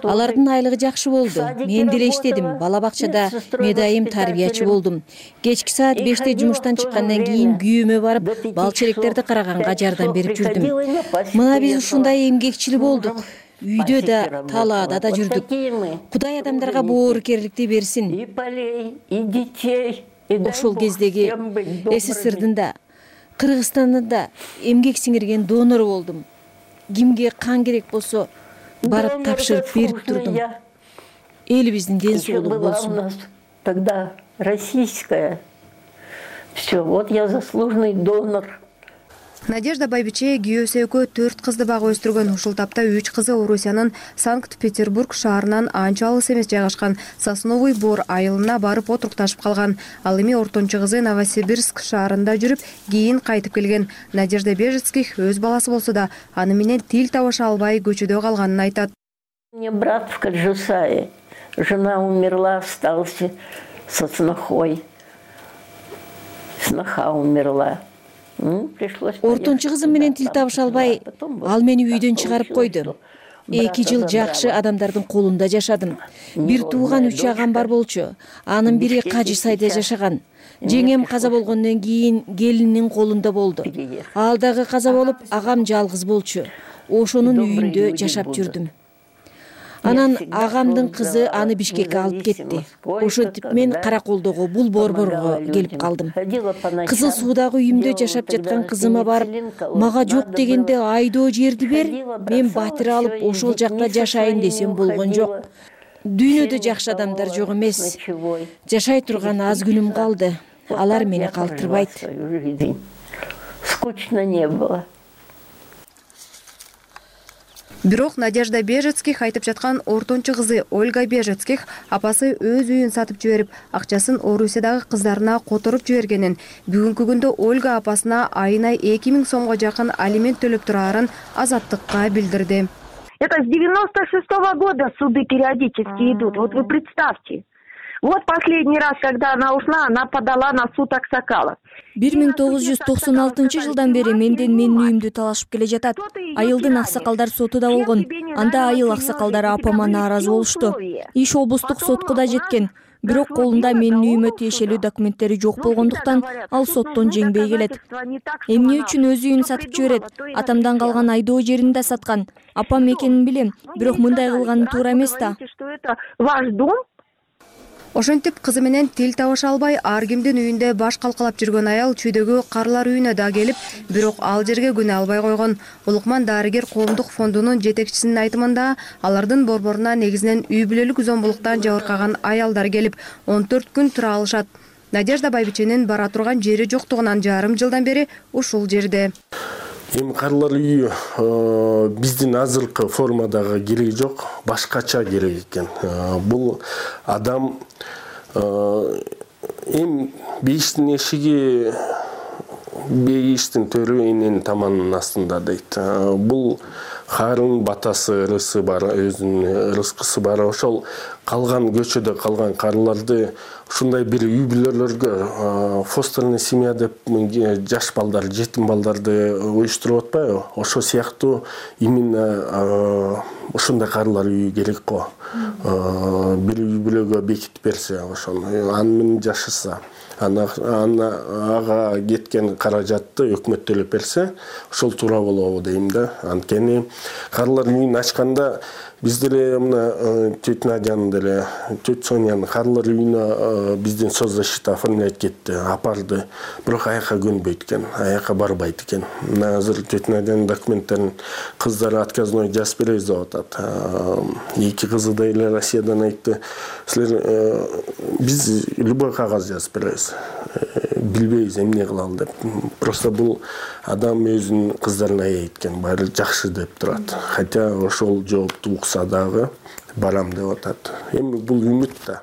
Алардын айлыгы жакшы болду. Мен деле иштедим. Бала бакчада медайым тарбиячы болдум. Кечки саат 5те жумуштан чыккандан кийин күйөөмө барып, балчы электерди караганга жардам берип жүрдүм. Мына биз ушундай эмгекчил болдук. Үйдө да, талаада да жүрдүк. Кудай адамдарга боорукерликти берсин. И полей, и детей. Ошол кездеги СССРдин да Кыргызстанда да эмгек сиңирген донор болдум. Кимге кан керек болсо барып тапшырып берип турдум. Элибиздин ден соолугу болсун. Тогда российская. Все, вот я заслуженный донор. Надежда Байбиче күйөөсү экөө 4 кызды багып өстүргөн. Ушул тапта 3 кызы Орусиянын Санкт-Петербург шаарынан анча алыс эмес жайгашкан Сосновый Бор айылына барып отурукташып калган. Ал эми ортончу кызы Новосибирск шаарында жүрүп, кийин кайтып келген. Надежда Бежецких өз баласы болсо да аны менен тил табыша албай көчөдө калганын айтат. Мне брат в Каджусае. Жена умерла, остался со снохой. Сноха умерла. Ортончу кызым менен тил табыша албай, ал мени үйдөн чыгарып койду. 2 жыл жакшы адамдардын колунда жашадым. Бир тууган 3 агам бар болчу. Анын бири Кажы сайда жашаган. Жеңем каза болгондон кийин келининин колунда болду. Ал дагы каза болуп, агам жалгыз болчу. Ошонун үйүндө жашап жүрдүм. Анан агамдын кызы аны Бишкекке алып кетти. Ошентип мен Караколдогу бул борборго келип калдым. Кызыл суудагы үйүмдө жашап жаткан кызыма барып, мага жок дегенде айдоо жерди бер, мен батир алып ошол жакта жашайын десем болгон жок. Дүйнөдө жакшы адамдар жок эмес. Жашай турган аз күнүм калды. Алар мени калтырбайт. Скучно не было. Бирок Надежда Бежецких айтып жаткан ортончу кызы Ольга Бежецких апасы өз үйүн сатып жиберип, акчасын Орусиядагы кыздарына которуп жибергенин, бүгүнкү күндө Ольга апасына айына 2000 сомго жакын алимент төлөп турарын Азаттыкка билдирди. Это с 96-го года суды периодически идут. Вот вы представьте. Вот последний раз, когда она ушла, она подала на суд аксакалов. 1996 жылдан бери менден менин үйүмдү талашып келе жатат. Айылдын аксакалдар сотуда болгон. Анда айыл аксакалдары апама нааразы болушту. Иш облустук сотко да жеткен. Бирок колунда менин үйүмө тиешелүү документтери жок болгондуктан ал соттон жеңбей келет. Эмне үчүн өз үйүн сатып жиберет? Атамдан калган айдоо жерин да саткан. Апам экенин билем, бирок мындай кылганы туура эмес да. Ваш дом? Ошентип кызы менен тил табыша албай ар кимдин үйүндө баш калкалап жүргөн аял чүйдөгү карлар үйүнө да келип, бирок ал жерге күнө албай койгон. Улукман дарыгер коомдук фондунун жетекчисинин айтымында, алардын борборуна негизинен үй бүлөлүк зомбулуктан жабыркаган аялдар келип, 14 күн тура алышат. Надежда Байбиченин бара турган жери жоктугунан жарым жылдан бери ушул жерде. Эми карлар үйү биздин азыркы формадагы кереги жок, башкача керек экен. Бул адам эми бейиштин эшиги бейиштин төрү эненин таманынын астында дейт. Бул Харын батасы ырысы бар, өзүнүн ырыскысы бар. Ошол калган көчөдө калган карларды ушундай бир үй бүлөлөргө фостерный семья деп жаш балдар, жетим балдарды уюштуруп атпайбы? Ошол сыяктуу именно ушундай карлар үйү керек го. Бир үй бүлөгө бекитип берсе, ошону аны менен жашаса, ага кеткен каражатты өкмөт төлөп берсе, ошол туура болобу дейм да. Анткени карлар үйүн ачканда биз деле мына тетя Надянын деле, тетя Сонянын карлар үйүнө бизден соцзащита оформлять кетти, апарды. Бирок аяка көнбөйт экен, аяка барбайт экен. Мына азыр тетя Надянын документтерин кыздары отказной жазып беребиз деп атат. Эки кызы да эле Россиядан айтты, силер биз любой кагаз жазып беребиз. Билбейбиз эмне кылалы деп. Просто бул адам өзүнүн кыздарын аяйт экен, баары жакшы деп турат. Хотя ошол жоопту укса дагы барам деп атат. Эми бул үмүт да.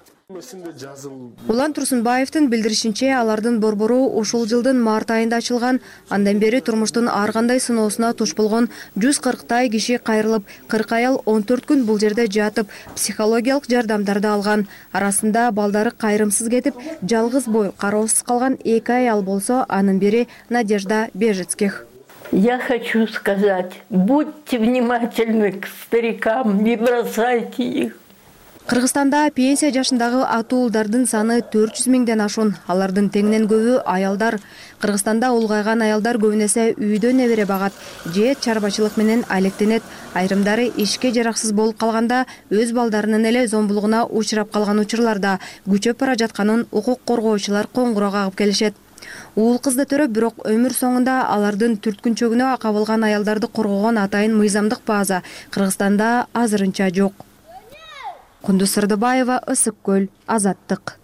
Улан Турсунбаевдин билдиришинче, алардын борбору ушул жылдын март айында ачылган. Андан бери турмуштун ар кандай сыноосуна туш болгон 140 киши кайрылып, 40 аял 14 күн бул жерде жатып, психологиялык жардамдарды алган. Арасында балдары кайрымсыз кетип, жалгыз бой кароосуз калган 2 аял болсо, анын бири Надежда Бежецких. Я хочу сказать, будьте внимательны к старикам, не бросайте их. Кыргызстанда пенсия жашындагы атуулдардын саны 400 миңден ашуун. Алардын теңинен көбү аялдар. Кыргызстанда улгайган аялдар көбүнесе үйдө небере багат, же чарбачылык менен алектенет. Айрымдары ишке жараксыз болуп калганда өз балдарынын эле зомбулугуна учурап калган учурларда күчөп бара жатканын укук коргоочулар коңгуроо кагып келишет. Уул кызды төрөп, бирок өмүр соңунда алардын түрткүнчөгүнө кабылган аялдарды коргогон атайын мыйзамдык база Кыргызстанда азырынча жок. Кундуз Сырдыбаева, Ысык көл, Азаттык.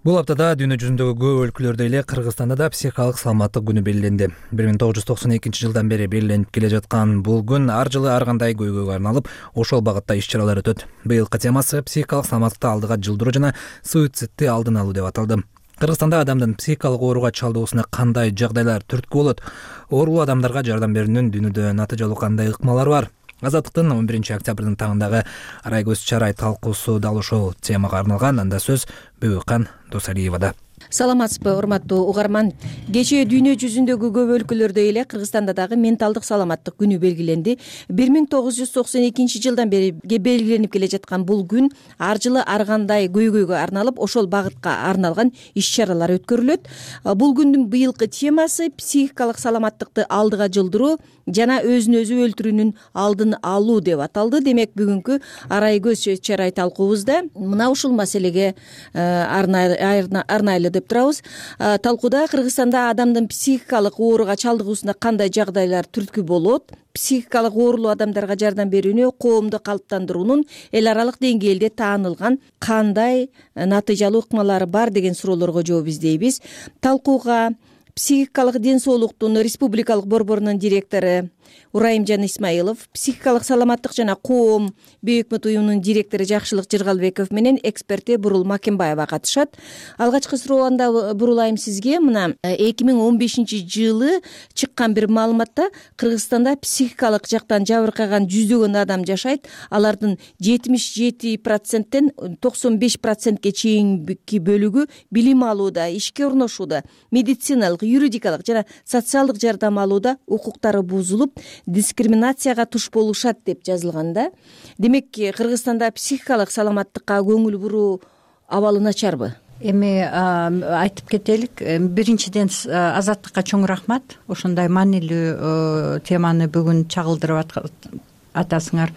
Бул аптада дүйнө жүзүндөгү көп өлкөлөрдө эле Кыргызстанда да психикалык саламаттык күнү белгиленди. 1992 жылдан бери белгиленип келе жаткан бул күн ар жылы ар кандай көйгөйгө арналып, ошол багытта иш-чаралар өтөт. Быйылкы темасы психикалык саламаттыкты алдыга жылдыруу жана суицидти алдын алуу деп аталды. Кыргызстанда адамдын психикалык ооруга чалдыгуусуна кандай жагдайлар түрткү болот? Оорулуу адамдарга жардам берүүнүн дүйнөдө натыйжалуу кандай ыкмалары бар? Азаттыктын 11 октябрдын таңындагы Арайгөз Чарай талкуусу дал ушул темага арналган. Анда сөз Бөбөкан Досалиевада. Саламатсызбы, урматтуу угарман. Кечээ дүйнө жүзүндөгү көп өлкөлөрдө эле Кыргызстанда дагы менталдык саламаттык күнү белгиленди. 1992 жылдан бери белгиленип келе жаткан бул күн ар жылы ар кандай көйгөйгө арналып, ошол багытка арналган иш-чаралар өткөрүлөт. Бул күндүн быйылкы темасы психикалык саламаттыкты алдыга жылдыруу жана өзүн өзү өлтүрүүнүн алдын алуу деп аталды. Демек, бүгүнкү Арайгөз Чарай талкуубузда мына ушул маселеге арнайлуу деп турабыз. Талкууда Кыргызстанда адамдын психикалык ооруга чалдыгуусуна кандай жагдайлар түрткү болот, психикалык оорулуу адамдарга жардам берүүнү коомду калыптандыруунун эл аралык деңгээлде таанылган кандай натыйжалуу ыкмалары бар деген суроолорго жооп издейбиз. Талкууга психикалык ден соолуктун республикалык борборунун директору Урайымжан Исмаилов, психикалык саламаттык жана коом бейөкмөт уюмунун директору Жакшылык Жыргалбеков менен эксперти Бурул Макенбаева катышат. Алгачкы суроомда Бурулайым сизге, мына 2015 жылы чыккан бир маалыматта Кыргызстанда психикалык жактан жабыркаган жүздөгөн адам жашайт. Алардын 77%тен 95%ке чейинки бөлүгү билим алууда, ишке орношууда, медициналык, юридикалык жана социалдык жардам алууда укуктары бузулуп, дискриминацияга туш болушат деп жазылганда. Демек, Кыргызстанда психикалык саламаттыкка көңүл буруу абалы начарбы? Эми айтып кетелик, биринчиден Азаттыкка чоң рахмат. Ошондой маанилүү теманы бүгүн чагылдырып атасыңар.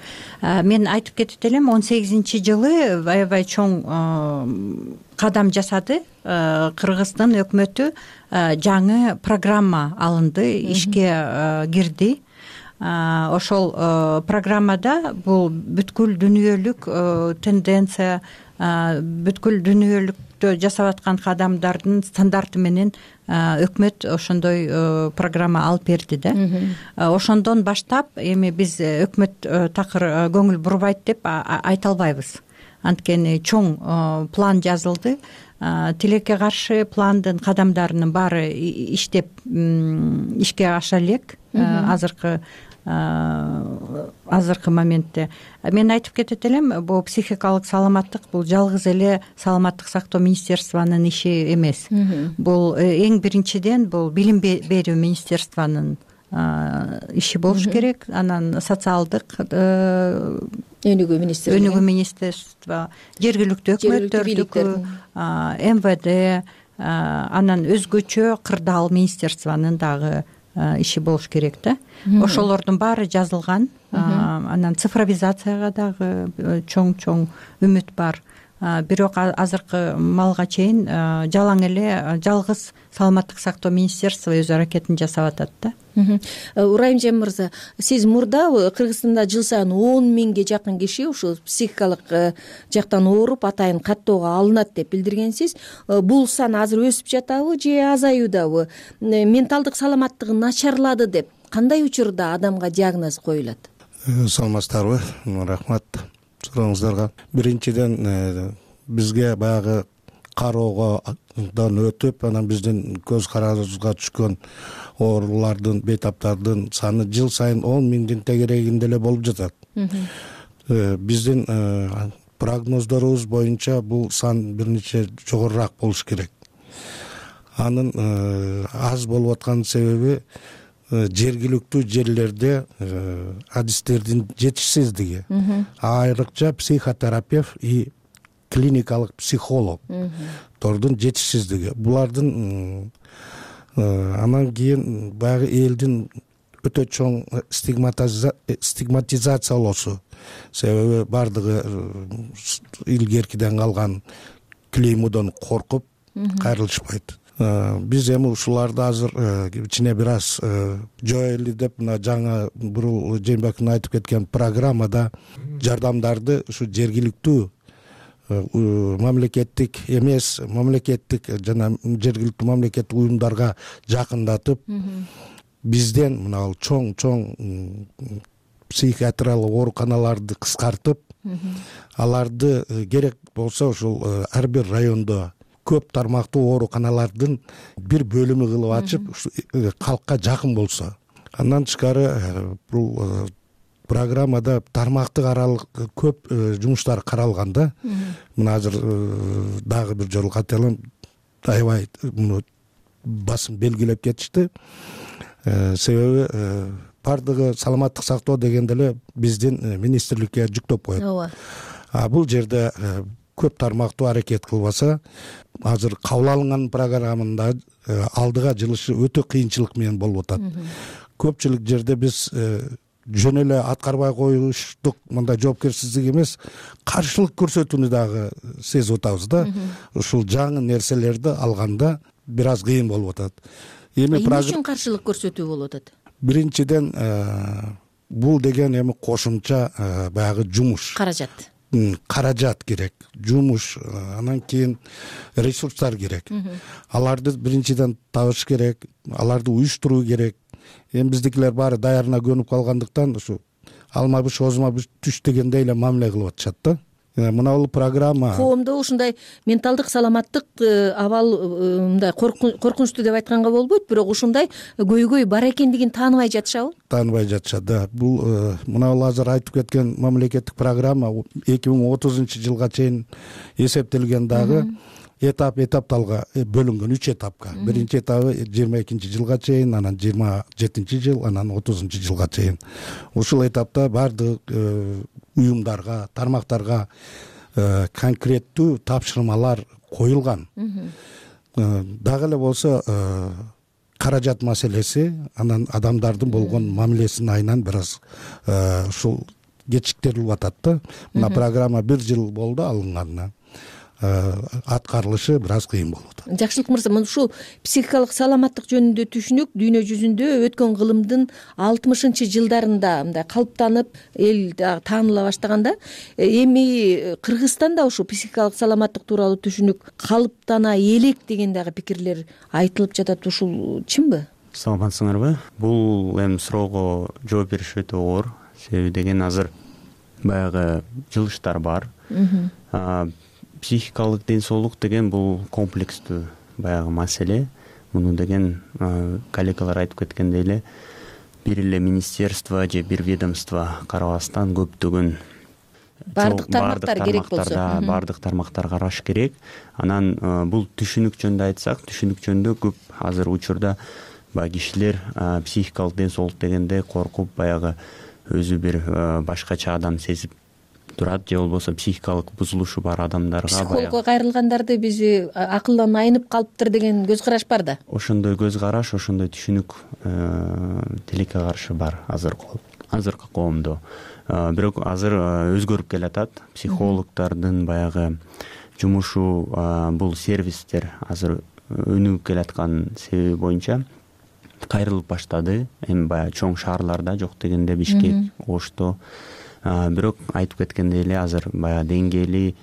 Мен айтып кетип элем, 18 жылы аябай чоң кадам жасады. Кыргыздын өкмөтү жаңы программа алынды, ишке кирди. Ошол программада бул бүткүл дүйнөлүк тенденция, бүткүл дүйнөлүктө жасап аткан кадамдардын стандарты менен өкмөт ошондой программа алып берди да. Ошондон баштап эми биз өкмөт такыр көңүл бурбайт деп айта албайбыз. Анткени чоң план жазылды. Тилекке каршы пландын кадамдарынын баары иштеп ишке аша элек азыркы моментте. Мен айтып кетет элем, бул психикалык саламаттык бул жалгыз эле саламаттык сактоо министерствонун иши эмес. Бул эң биринчиден бул билим берүү министерствонун иши болуш керек. Анан социалдык өнүгүү министерство, жергиликтүү өкмөттөрдүкү, МВД, анан өзгөчө кырдаал министерствонун дагы иши болуш керек да. Ошолордун баары жазылган. Анан цифровизацияга дагы чоң үмүт бар. Бирок азыркы малга чейин жалаң эле жалгыз саламаттык сактоо министерство өз аракетин жасап атат да. Урайымжан мырза, сиз мурда Кыргызстанда жыл сайын 10 миңге жакын киши ушул психикалык жактан ооруп атайын каттоого алынат деп билдиргенсиз. Бул сан азыр өсүп жатабы же азаюудабы? Менталдык саламаттыгы начарлады деп кандай учурда адамга диагноз коюлат? Саламатсыздарбы? Рахмат сурооңуздарга. Биринчиден бизге баягы кароодон өтүп, анан биздин көз карабызга түшкөн оорулардын, бейтаптардын саны жыл сайын 10 миңдин тегерегинде эле болуп жатат. Биздин прогноздорубуз боюнча бул сан бир нече жогорураак болуш керек. Анын аз болуп аткан себеби жергиликтүү жерлерде адистердин жетишсиздиги, айрыкча психотерапевт и клиникалык психологдордун жетишсиздиги. Булардын анан кийин баягы элдин өтө чоң стигматизациялоосу. Себеби бардыгы илгеркиден калган клеймодон коркуп кайрылышпайт. Биз эми ушуларды азыр кичине бир аз жоелы деп, мына жаңа Бурул Жээнбековдун айтып кеткен программада жардамдарды ушу жергиликтүү мамлекеттик эмес, мамлекеттик жана жергиликтүү мамлекеттик уюмдарга жакындатып, бизден мына чоң психиатриялык ооруканаларды кыскартып, аларды керек болсо ушул ар бир райондо көп тармактуу ооруканалардын бир бөлүмү кылып ачып, калкка жакын болсо. Андан тышкары бул программада тармактык аралык көп жумуштар каралган да. Мына азыр дагы бир жолу кайталам, аябай муну басым белгилеп кетишти. Себеби бардыгы саламаттык сактоо дегенде эле биздин министрликке жүктөп коет. Бул жерде көп тармактуу аракет кылбаса, азыр кабыл алынган программада алдыга жылышы өтө кыйынчылык менен болуп атат. Көпчүлүк жерде биз жөн эле аткарбай коюштук, мындай жоопкерсиздик эмес, каршылык көрсөтүүнү дагы сезип атабыз да. Ушул жаңы нерселерди алганда бир аз кыйын болуп атат. Эмне үчүн каршылык көрсөтүү болуп атат? Биринчиден бул деген эми кошумча баягы жумуш. Каражат керек, жумуш, анан кийин ресурстар керек. Аларды биринчиден табыш керек, аларды уюштуруу керек. Эми биздикилер баары даярына көнүп калгандыктан ушу алма быш, озма быш түш дегендей эле мамиле кылып атышат да. Мына бул программа коомдо ушундай менталдык саламаттык абал мындай коркунучтуу деп айтканга болбойт, бирок ушундай көйгөй бар экендигин тааныбай жатышабы? Тааныбай жатышат да. Бул мына бул азыр айтып кеткен мамлекеттик программа 2030-жылга чейин эсептелген дагы этап-этапталга бөлүнгөн 3 этапка. Биринчи этабы 22-жылга чейин, анан 27-жыл, анан 30-жылга чейин. Ушул этапта бардык уюмдарга, тармактарга конкреттүү тапшырмалар коюлган. Дагы эле болсо каражат маселеси, анан адамдардын болгон мамилесинин айынан бир аз ушул кечиктирилип атат да. Мына программа 1 жыл болду алынганына. Аткарылышы бир аз кыйын болот. Жакшылык мырза, мына ушул психикалык саламаттык жөнүндө түшүнүк дүйнө жүзүндө өткөн кылымдын 60-жылдарында мындай калыптанып, эл тааныла баштаганда, эми Кыргызстанда ушул психикалык саламаттык тууралуу түшүнүк калыптана элек деген дагы пикирлер айтылып жатат. Ушул чынбы? Саламатсыңарбы? Бул эми суроого жооп бериш өтө оор. Себеби деген азыр баягы жылыштар бар. Психикалык ден соолук деген бул комплекстүү баягы маселе. Муну деген коллегалар айтып кеткендей эле бир эле министерство же бир ведомство карабастан көптөгөн бардык тармактар керек болсо, бардык тармактар караш керек. Анан бул түшүнүк жөнүндө айтсак, түшүнүк жөнүндө көп азыр учурда баягы кишилер психикалык ден соолук дегенде коркуп баягы өзү бир башкача адам сезип турат, же болбосо психикалык бузулушу бар адамдарга психологко кайрылгандарды бизи акылдан айнып калыптыр деген көз караш бар да. Ошондой көз караш, ошондой түшүнүк тилекке каршы бар азыркы коомдо. Бирок азыр өзгөрүп келатат. Психологдордун баягы жумушу, бул сервистер азыр өнүгүп келаткан себеби боюнча кайрылып баштады. Эми баягы чоң шаарларда, жок дегенде Бишкек, Ошто. Бирок айтып кеткендей эле азыр баягы деңгээли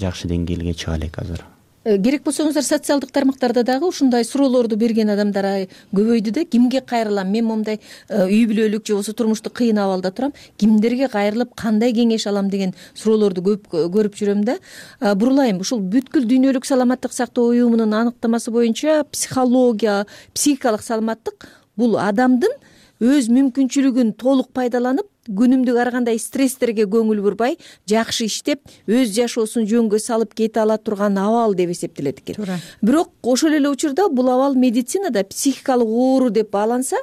жакшы деңгээлге чыга элек азыр. Керек болсоңуздар социалдык тармактарда дагы ушундай суроолорду берген адамдар көбөйдү да. Кимге кайрылам? Мен момундай үй бүлөлүк же болбосо турмуштук кыйын абалда турам. Кимдерге кайрылып, кандай кеңеш алам деген суроолорду көп көрүп жүрөм да. Бурулайм, ушул бүткүл дүйнөлүк саламаттык сактоо уюмунун аныктамасы боюнча психология, психикалык саламаттык бул адамдын өз мүмкүнчүлүгүн толук пайдаланып, күнүмдүк ар кандай стресстерге көңүл бурбай, жакшы иштеп, өз жашоосун жөнгө салып кете ала турган абал деп эсептелет экен. Бирок ошол эле учурда бул абал медицинада психикалык оору деп бааланса,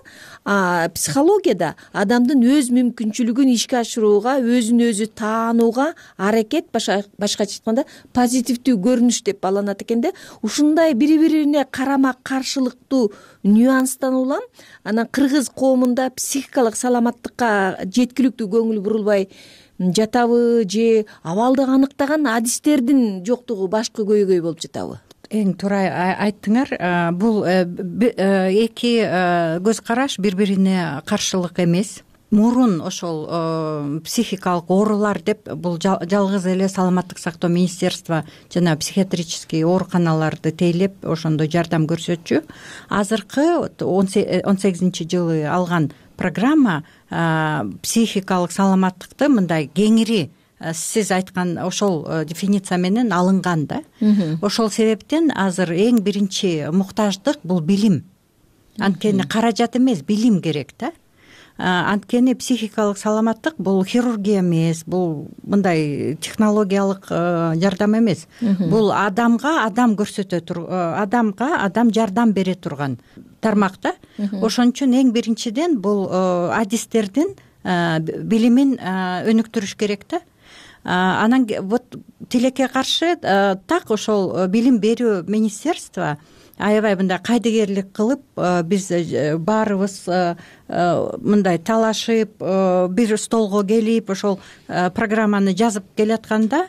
психологияда адамдын өз мүмкүнчүлүгүн ишке ашырууга, өзүн өзү таанууга аракет, башкача айтканда позитивдүү көрүнүш деп бааланат экен да. Ушундай бири-бирине карама каршылыктуу нюанстан улам анан кыргыз коомунда психикалык саламаттыкка жеткиликтүү көңүл бурулбай жатабы же абалды аныктаган адистердин жоктугу башкы көйгөй болуп жатабы? Эң туура айттыңар. Бул эки көз караш бири-бирине каршылык эмес. Мурун ошол психикалык оорулар деп бул жалгыз эле саламаттык сактоо министерство жана психиатрический ооруканаларды тейлеп ошондой жардам көрсөтчү. Азыркы 18-жылы алган программа психикалык саламаттыкты мындай кеңири сиз айткан ошол дефиниция менен алынган да. Ошол себептен азыр эң биринчи муктаждык бул билим. Анткени каражат эмес, билим керек да. Анткени психикалык саламаттык бул хирургия эмес, бул мындай технологиялык жардам эмес. Бул адамга адам көрсөтө адамга адам жардам бере турган тармак да. Ошон үчүн эң биринчиден бул адистердин билимин өнүктүрүш керек да. Анан вот тилекке каршы так ошол билим берүү министерство аябай мындай кайдыгерлик кылып, биз баарыбыз мындай талашып, бир столго келип ошол программаны жазып келатканда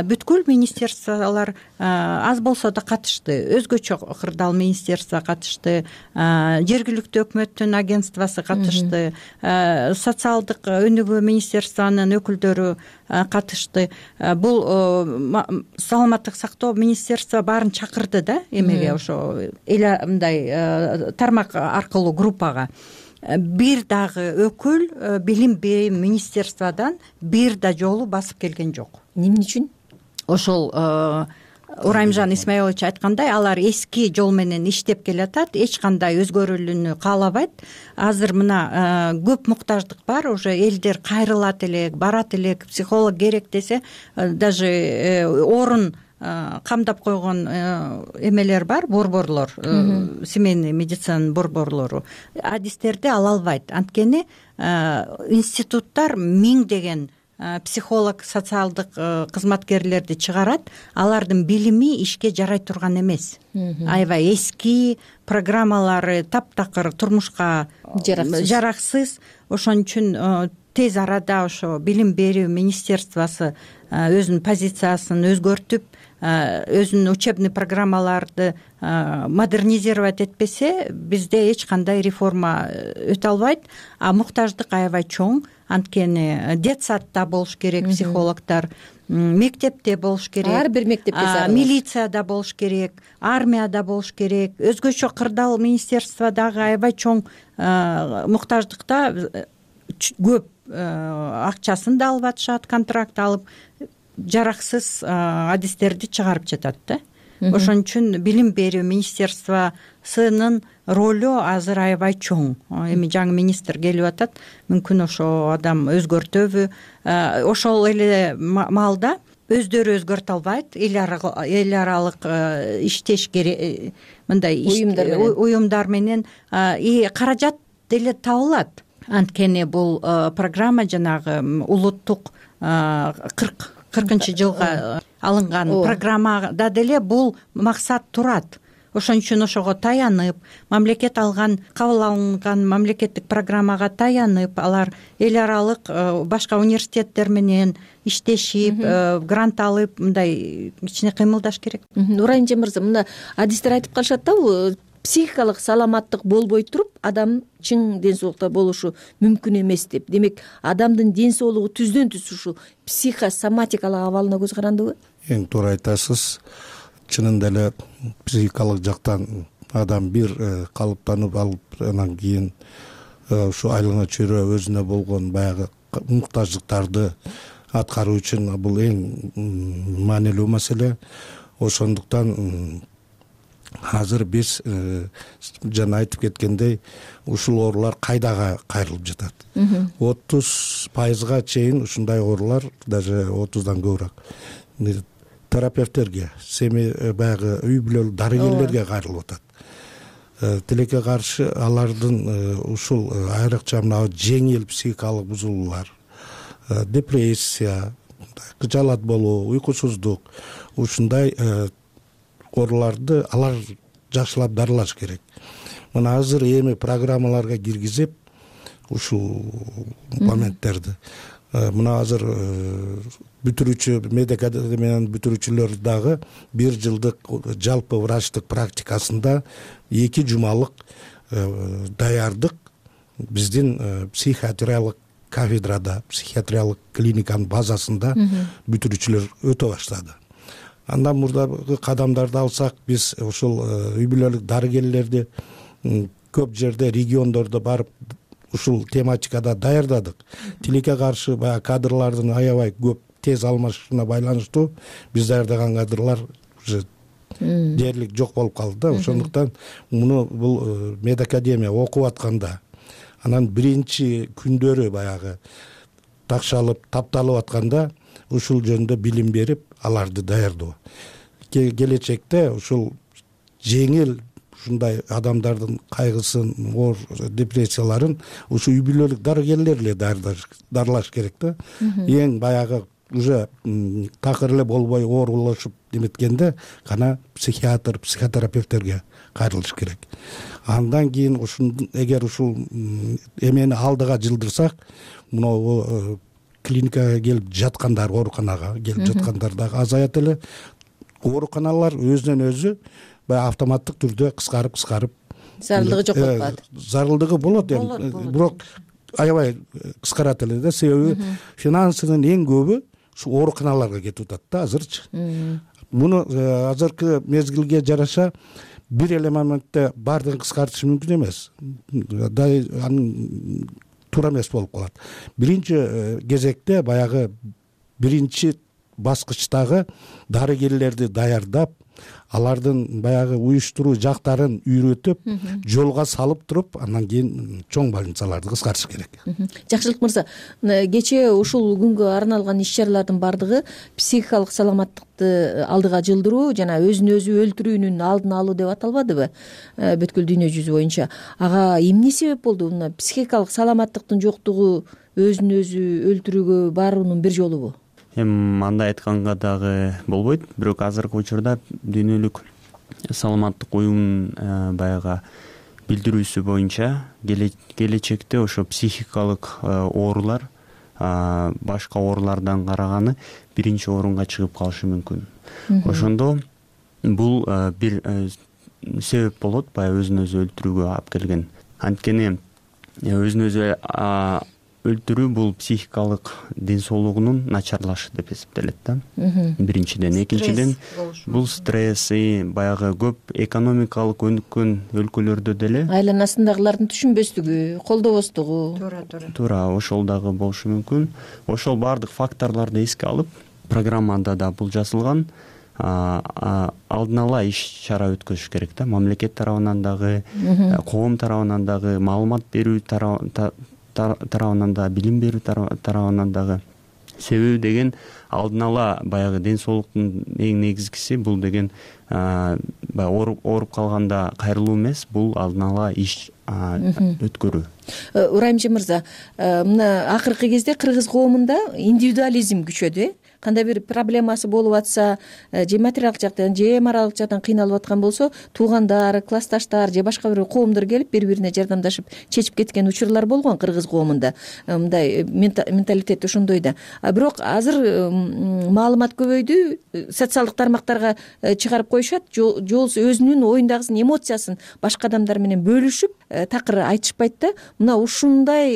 бүткүл министерстволор аз болсо да катышты. Өзгөчө кырдаал министерство катышты, жергиликтүү өкмөттүн агентствосу катышты, социалдык өнүгүү министерствонун өкүлдөрү катышты. Бул саламаттык сактоо министерство баарын чакырды да эмеге, ошо мындай тармак аркылуу группага. Бир дагы өкүл билим берүү министерстводан бир да жолу басып келген жок. Эмне үчүн? Ошол Ураймжан Исмаилович айткандай, алар эски жол менен иштеп келатат, эч кандай өзгөрүүлүнү каалабайт. Азыр мына көп муктаждык бар, уже элдер кайрылат элек, барат элек, психолог керек десе, даже орун камдап койгон эмелер бар, борборлор, семейный медицинанын борборлору. Адистерди ала албайт. Анткени институттар миңдеген психолог, социалдык кызматкерлерди чыгарат, алардын билими ишке жарай турган эмес. Аябай эски программалары таптакыр, турмушка жараксыз. Ошон үчүн тез арада ошо билим берүү министерствосу өзүнүн позициясын өзгөртүп, өзүнүн учебный программаларды модернизировать этпесе, бизде эч кандай реформа өтө албайт. Муктаждык аябай чоң. Анткени детсадда болуш керек психологдор, мектепте болуш керек, ар бир мектепте зарыл, милицияда болуш керек, армияда болуш керек. Өзгөчө кырдаал министерство дагы аябай чоң муктаждыкта көп акчасын да алып атышат, контракт алып, жараксыз адистерди чыгарып жатат да. Ошон үчүн билим берүү министерствосунун ролу азыр аябай чоң. Эми жаңы министр келип атат, мүмкүн ошо адам өзгөртөбү. Ошол эле маалда өздөрү өзгөртө албайт, эл аралык иштеш керек, мындай уюмдар менен каражат деле табылат. Анткени бул программа жанагы улуттук 40-40 жылга алынган программада деле бул максат турат. Ошон үчүн ошого таянып, мамлекет кабыл алынган мамлекеттик программага таянып, алар эл аралык башка университеттер менен иштешип, грант алып, мындай кичине кыймылдаш керек. Нурайымжа мырза, мына адистер айтып калышат да, бул психикалык саламаттык болбой туруп, адам чың ден соолукта болушу мүмкүн эмес деп. Демек, адамдын ден соолугу түздөн түз ушул психосоматикалык абалына көз карандыбы? Эң туура айтасыз. Чынында эле психикалык жактан адам бир калыптанып алып, анан кийин ушу айлана чөйрө өзүнө болгон баягы муктаждыктарды аткаруу үчүн бул эң маанилүү маселе. Ошондуктан азыр биз жана айтып кеткендей, ушул оорулар кайдага кайрылып жатат. 30% чейин ушундай оорулар, даже 30дан көбүрөөк терапевттерге, баягы үй бүлөлүк дарыгерлерге кайрылып атат. Тилекке каршы алардын ушул айрыкча мына жеңил психикалык бузулуулар, депрессия, кыжаалат болуу, уйкусуздук, ушундай ооруларды алар жакшылап дарылаш керек. Мына азыр эми программаларга киргизип ушул моменттерди, мына азыр бүтүрүүчү медакадемиянын бүтүрүүчүлөр дагы 1 жылдык жалпы врачтык практикасында 2 жумалык даярдык биздин психиатриялык кафедрада, психиатриялык клиниканын базасында бүтүрүүчүлөр өтө баштады. Андан мурдагы кадамдарды алсак, биз ушул үй бүлөлүк дарыгерлерди көп жерде, региондордо барып ушул тематикада даярдадык. Тилекке каршы баягы кадрлардын аябай көп тез алмашышына байланыштуу биз даярдаган кадрлар уже дээрлик жок болуп калды да. Ошондуктан муну бул медакадемия окуп атканда, анан биринчи күндөрү баягы такшалып, тапталып атканда ушул жөнүндө билим берип, аларды даярдоо. Келечекте ушул жеңил ушундай адамдардын кайгысын, оор депрессияларын ушу үй бүлөлүк дарыгерлер эле дарылаш керек да. Эң баягы уже такыр эле болбой оорулашып неметкенде гана психиатр, психотерапевттерге кайрылыш керек. Андан кийин эгер ушул эмени алдыга жылдырсак, мына клиникага келип жаткандар, ооруканага келип жаткандар дагы азаят эле. Ооруканалар өзүнөн өзү баягы автоматтык түрдө кыскарып зарылдыгы жок болуп калат. Зарылдыгы болот эми, бирок аябай кыскарат эле да. Себеби финансынын эң көбү ушу ооруканаларга кетип атат да азырчы. Муну азыркы мезгилге жараша бир эле моментте баардыгын кыскартыш мүмкүн эмес. Анын туура эмес болуп калат. Биринчи кезекте баягы биринчи баскычтагы дарыгерлерди даярдап, алардын баягы уюштуруу жактарын үйрөтүп, жолго салып туруп, андан кийин чоң больницаларды кыскартыш керек. Жакшылык мырза, кечээ ушул күнгө арналган иш-чаралардын бардыгы психикалык саламаттыкты алдыга жылдыруу жана өзүн өзү өлтүрүүнүн алдын алуу деп аталбадыбы? Бүткүл дүйнө жүзү боюнча. Ага эмне себеп болду? Мына психикалык саламаттыктын жоктугу өзүн өзү өлтүрүүгө баруунун бир жолубу? Андай айтканга дагы болбойт, бирок азыркы учурда дүйнөлүк саламаттык уюмунун баягы билдирүүсү боюнча келечекте ошо психикалык оорулар башка оорулардан караганы биринчи орунга чыгып калышы мүмкүн. Ошондо бул бир себеп болот, баягы өзүн өзү өлтүрүүгө алып келген. Анткени өзүн өзү өлтүрүү бул психикалык ден соолугунун начарлашы деп эсептелет да. Биринчиден, экинчиден бул стресс, баягы көп экономикалык өнүккөн өлкөлөрдө деле айланасындагылардын түшүнбөстүгү, колдобостугу. Туура, ошол дагы болушу мүмкүн. Ошол баардык факторлорду эске алып, программада да бул жазылган. Алдын ала иш-чара өткөзүш керек да. Мамлекет тарабынан дагы, коом тарабынан дагы, маалымат берүү тарабынан да, билим берүү тарабынан дагы себеби деген алдын ала баягы ден соолуктун эң негизгиси бул деген баягы ооруп калганда кайрылуу эмес, бул алдын ала иш өткөрүү. Урайымжы мырза, мына акыркы кезде кыргыз коомунда индивидуализм күчөдү. Кандай бир проблемасы болуп атса, же материалдык жактан, же моралдык жактан кыйналып аткан болсо, туугандар, классташтар же башка бир коомдор келип бири-бирине жардамдашып чечип кеткен учурлар болгон кыргыз коомунда. Мындай менталитет ошондой да. Бирок азыр маалымат көбөйдү, социалдык тармактарга чыгарып коюшат, же болбосо өзүнүн оюндагысын, эмоциясын башка адамдар менен бөлүшүп такыр айтышпайт да. Мына ушундай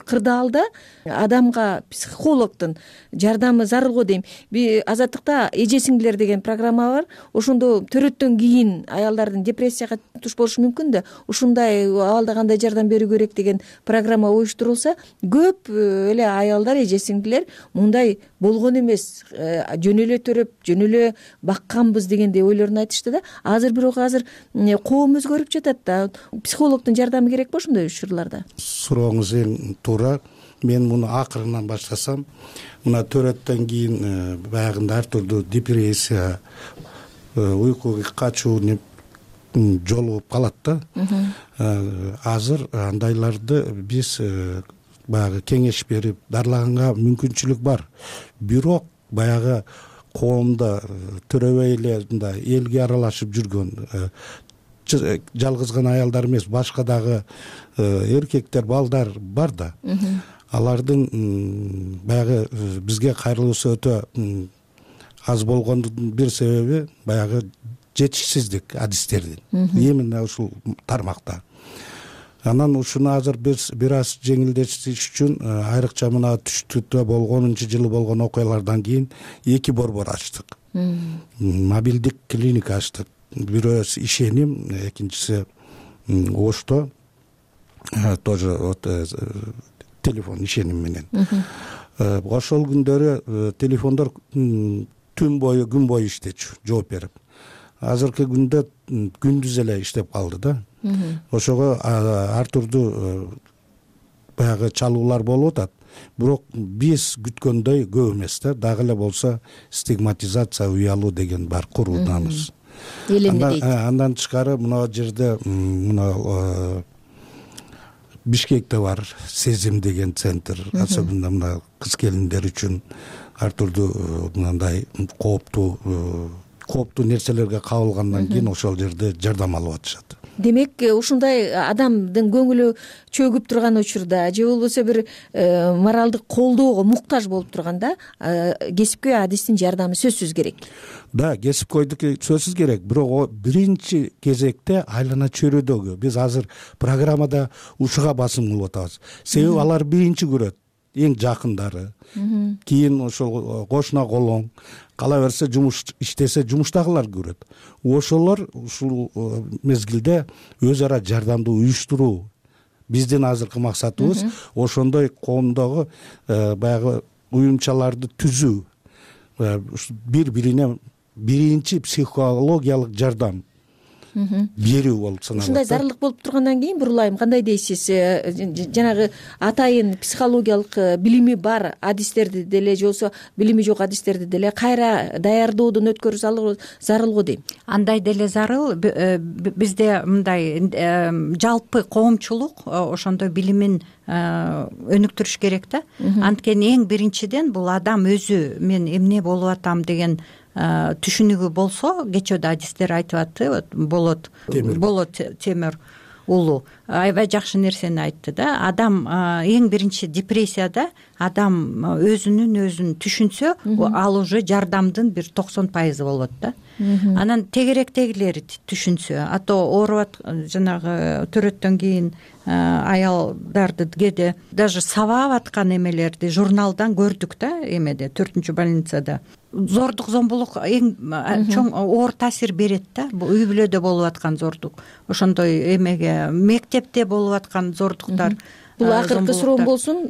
кырдаалда адамга психологдун жардамы зарыл го дейм. Азаттыкта эже сиңдилер деген программа бар. Ошондо төрөттөн кийин аялдардын депрессияга туш болушу мүмкүн да. Ушундай абалда кандай жардам берүү керек деген программа уюштурулса, көп эле аялдар, эже сиңдилер мындай болгон эмес, жөн эле төрөп, жөн эле бакканбыз дегендей ойлорун айтышты да. Бирок азыр коом өзгөрүп жатат да. Психологдун жардамы керек болчу ошондой учурларда? Сурооңуз эң туура. Мен муну акырынан баштасам, мына төрөттөн кийин баягында ар түрдүү депрессия, уйкуга качуу жолугуп калат да. Азыр андайларды биз баягы кеңеш берип дарылаганга мүмкүнчүлүк бар. Бирок баягы коомдо төрөбөй эле мындай элге аралашып жүргөн, жалгыз гана аялдар эмес, башка дагы эркектер, балдар бар да. Алардын баягы бизге кайрылуусу өтө аз болгондун бир себеби баягы жетишсиздик адистердин именно ушул тармакта. Анан ушуну азыр биз бир аз жеңилдетиш үчүн айрыкча мына түштүктө 10-жылы болгон окуялардан кийин 2 борбор ачтык. Мобилдик клиника ачтык. Бирөө ишеним, экинчиси Ошто тоже телефон ишеним менен. Ошол күндөрү телефондор түн бою, күн бою иштечү, жооп берип. Азыркы күндө күндүз эле иштеп калды да. Ошого ар түрдүү баягы чалуулар болуп атат. Бирок биз күткөндөй көп эмес да. Дагы эле болсо стигматизация, уялуу деген бар, курууданыбыз. Андан тышкары мына жерде мына Бишкекте бар Сезим деген центр, особенно мына кыз келиндер үчүн ар түрдүү мындай кооптуу нерселерге кабылгандан кийин ошол жерде жардам алып атышат. Демек, ушундай адамдын көңүлү чөгүп турган учурда же болбосо бир моралдык колдоого муктаж болуп турганда кесипкөй адистин жардамы сөзсүз керек. Да, кесипкөйдүкү сөзсүз керек. Бирок биринчи кезекте айлана чөйрөдөгү биз азыр программада ушуга басым кылып атабыз. Себеби алар биринчи көрөт, эң жакындары. Кийин ошол кошуна колоң, кала берсе жумуш иштесе жумуштагылар көрөт. Ошолор ушул мезгилде өз ара жардамды уюштуруу биздин азыркы максатыбыз. Ошондой коомдогу баягы уюмчаларды түзүү, бири-бирине биринчи психологиялык жардам берүү болуп саналат. Ушундай зарылдык болуп тургандан кийин Бурулайым, кандай дейсиз? Жанагы атайын психологиялык билими бар адистерди деле же болбосо билими жок адистерди деле кайра даярдоодон өткөрүү зарыл го дейм. Андай деле зарыл. Бизде мындай жалпы коомчулук ошондой билимин өнүктүрүш керек да. Анткени эң биринчиден бул адам өзү мен эмне болуп атам деген түшүнүгү болсо, кечөөдө адистер айтып атты, Болот Темир уулу аябай жакшы нерсени айтты да. Адам эң биринчи депрессияда адам өзүн түшүнсө, ал уже жардамдын бир 90% болот да. Анан тегеректегилери түшүнсө, ооруп жанагы төрөттөн кийин аялдарды кээде даже сабап аткан эмелерди журналдан көрдүк да, эмеде 4-чү больницада. Зордук, зомбулук эң чоң оор таасир берет да. Үй бүлөдө болуп аткан зордук, ошондой эмеге мектепте болуп аткан зордуктар. Бул акыркы суроом болсун,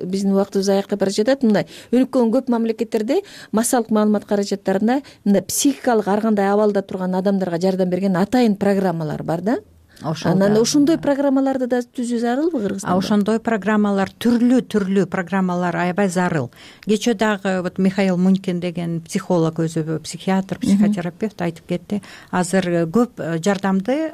биздин убактыбыз аякка бара жатат. Мындай өнүккөн көп мамлекеттерде массалык маалымат каражаттарында мындай психикалык ар кандай абалда турган адамдарга жардам берген атайын программалар бар да. анан ошондой программаларды да түзүү зарылбы Кыргызстанда? Ошондой программалар түрлүү программалар аябай зарыл. Кечээ дагы вот Михаил Мунькин деген психолог, өзү психиатр, психотерапевт айтып кетти. Азыр көп жардамды,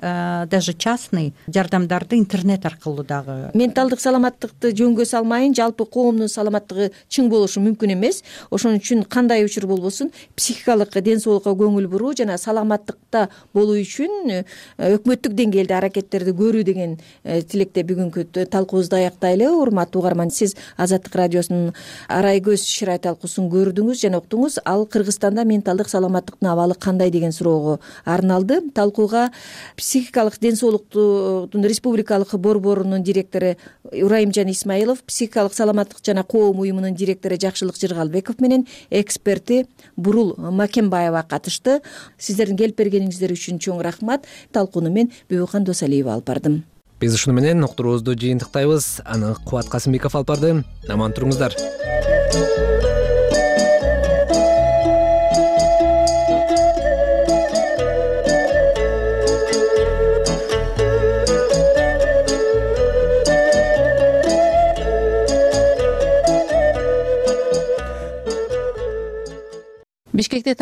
даже частный жардамдарды интернет аркылуу дагы. Менталдык саламаттыкты жөнгө салмайын, жалпы коомдун саламаттыгы чың болушу мүмкүн эмес. Ошон үчүн кандай учур болбосун, психикалык ден соолукка көңүл буруу жана саламаттыкта болуу үчүн өкмөттүк деңгээлде аракеттерди көрүү деген тилекте бүгүнкү талкуубузду аяктайлы. Урматтуу угарман, сиз Азаттык радиосунун Арай көз шырай талкуусун көрдүңүз жана уктуңуз. Ал Кыргызстанда менталдык саламаттыктын абалы кандай деген суроого арналды. Талкууга психикалык ден соолуктун республикалык борборунун директору Урайымжан Исмаилов, психикалык саламаттык жана коом уюмунун директору Жакшылык Жыргалбеков менен эксперти Бурул Макенбаева катышты. Сиздердин келип бергениңиздер үчүн чоң рахмат. Талкууну мен Бүбүкан Досалиева алып бардым. Биз ушуну менен уктуруубузду жыйынтыктайбыз. Аны Кубат Касымбеков алып барды. Аман туруңуздар. Бишкекте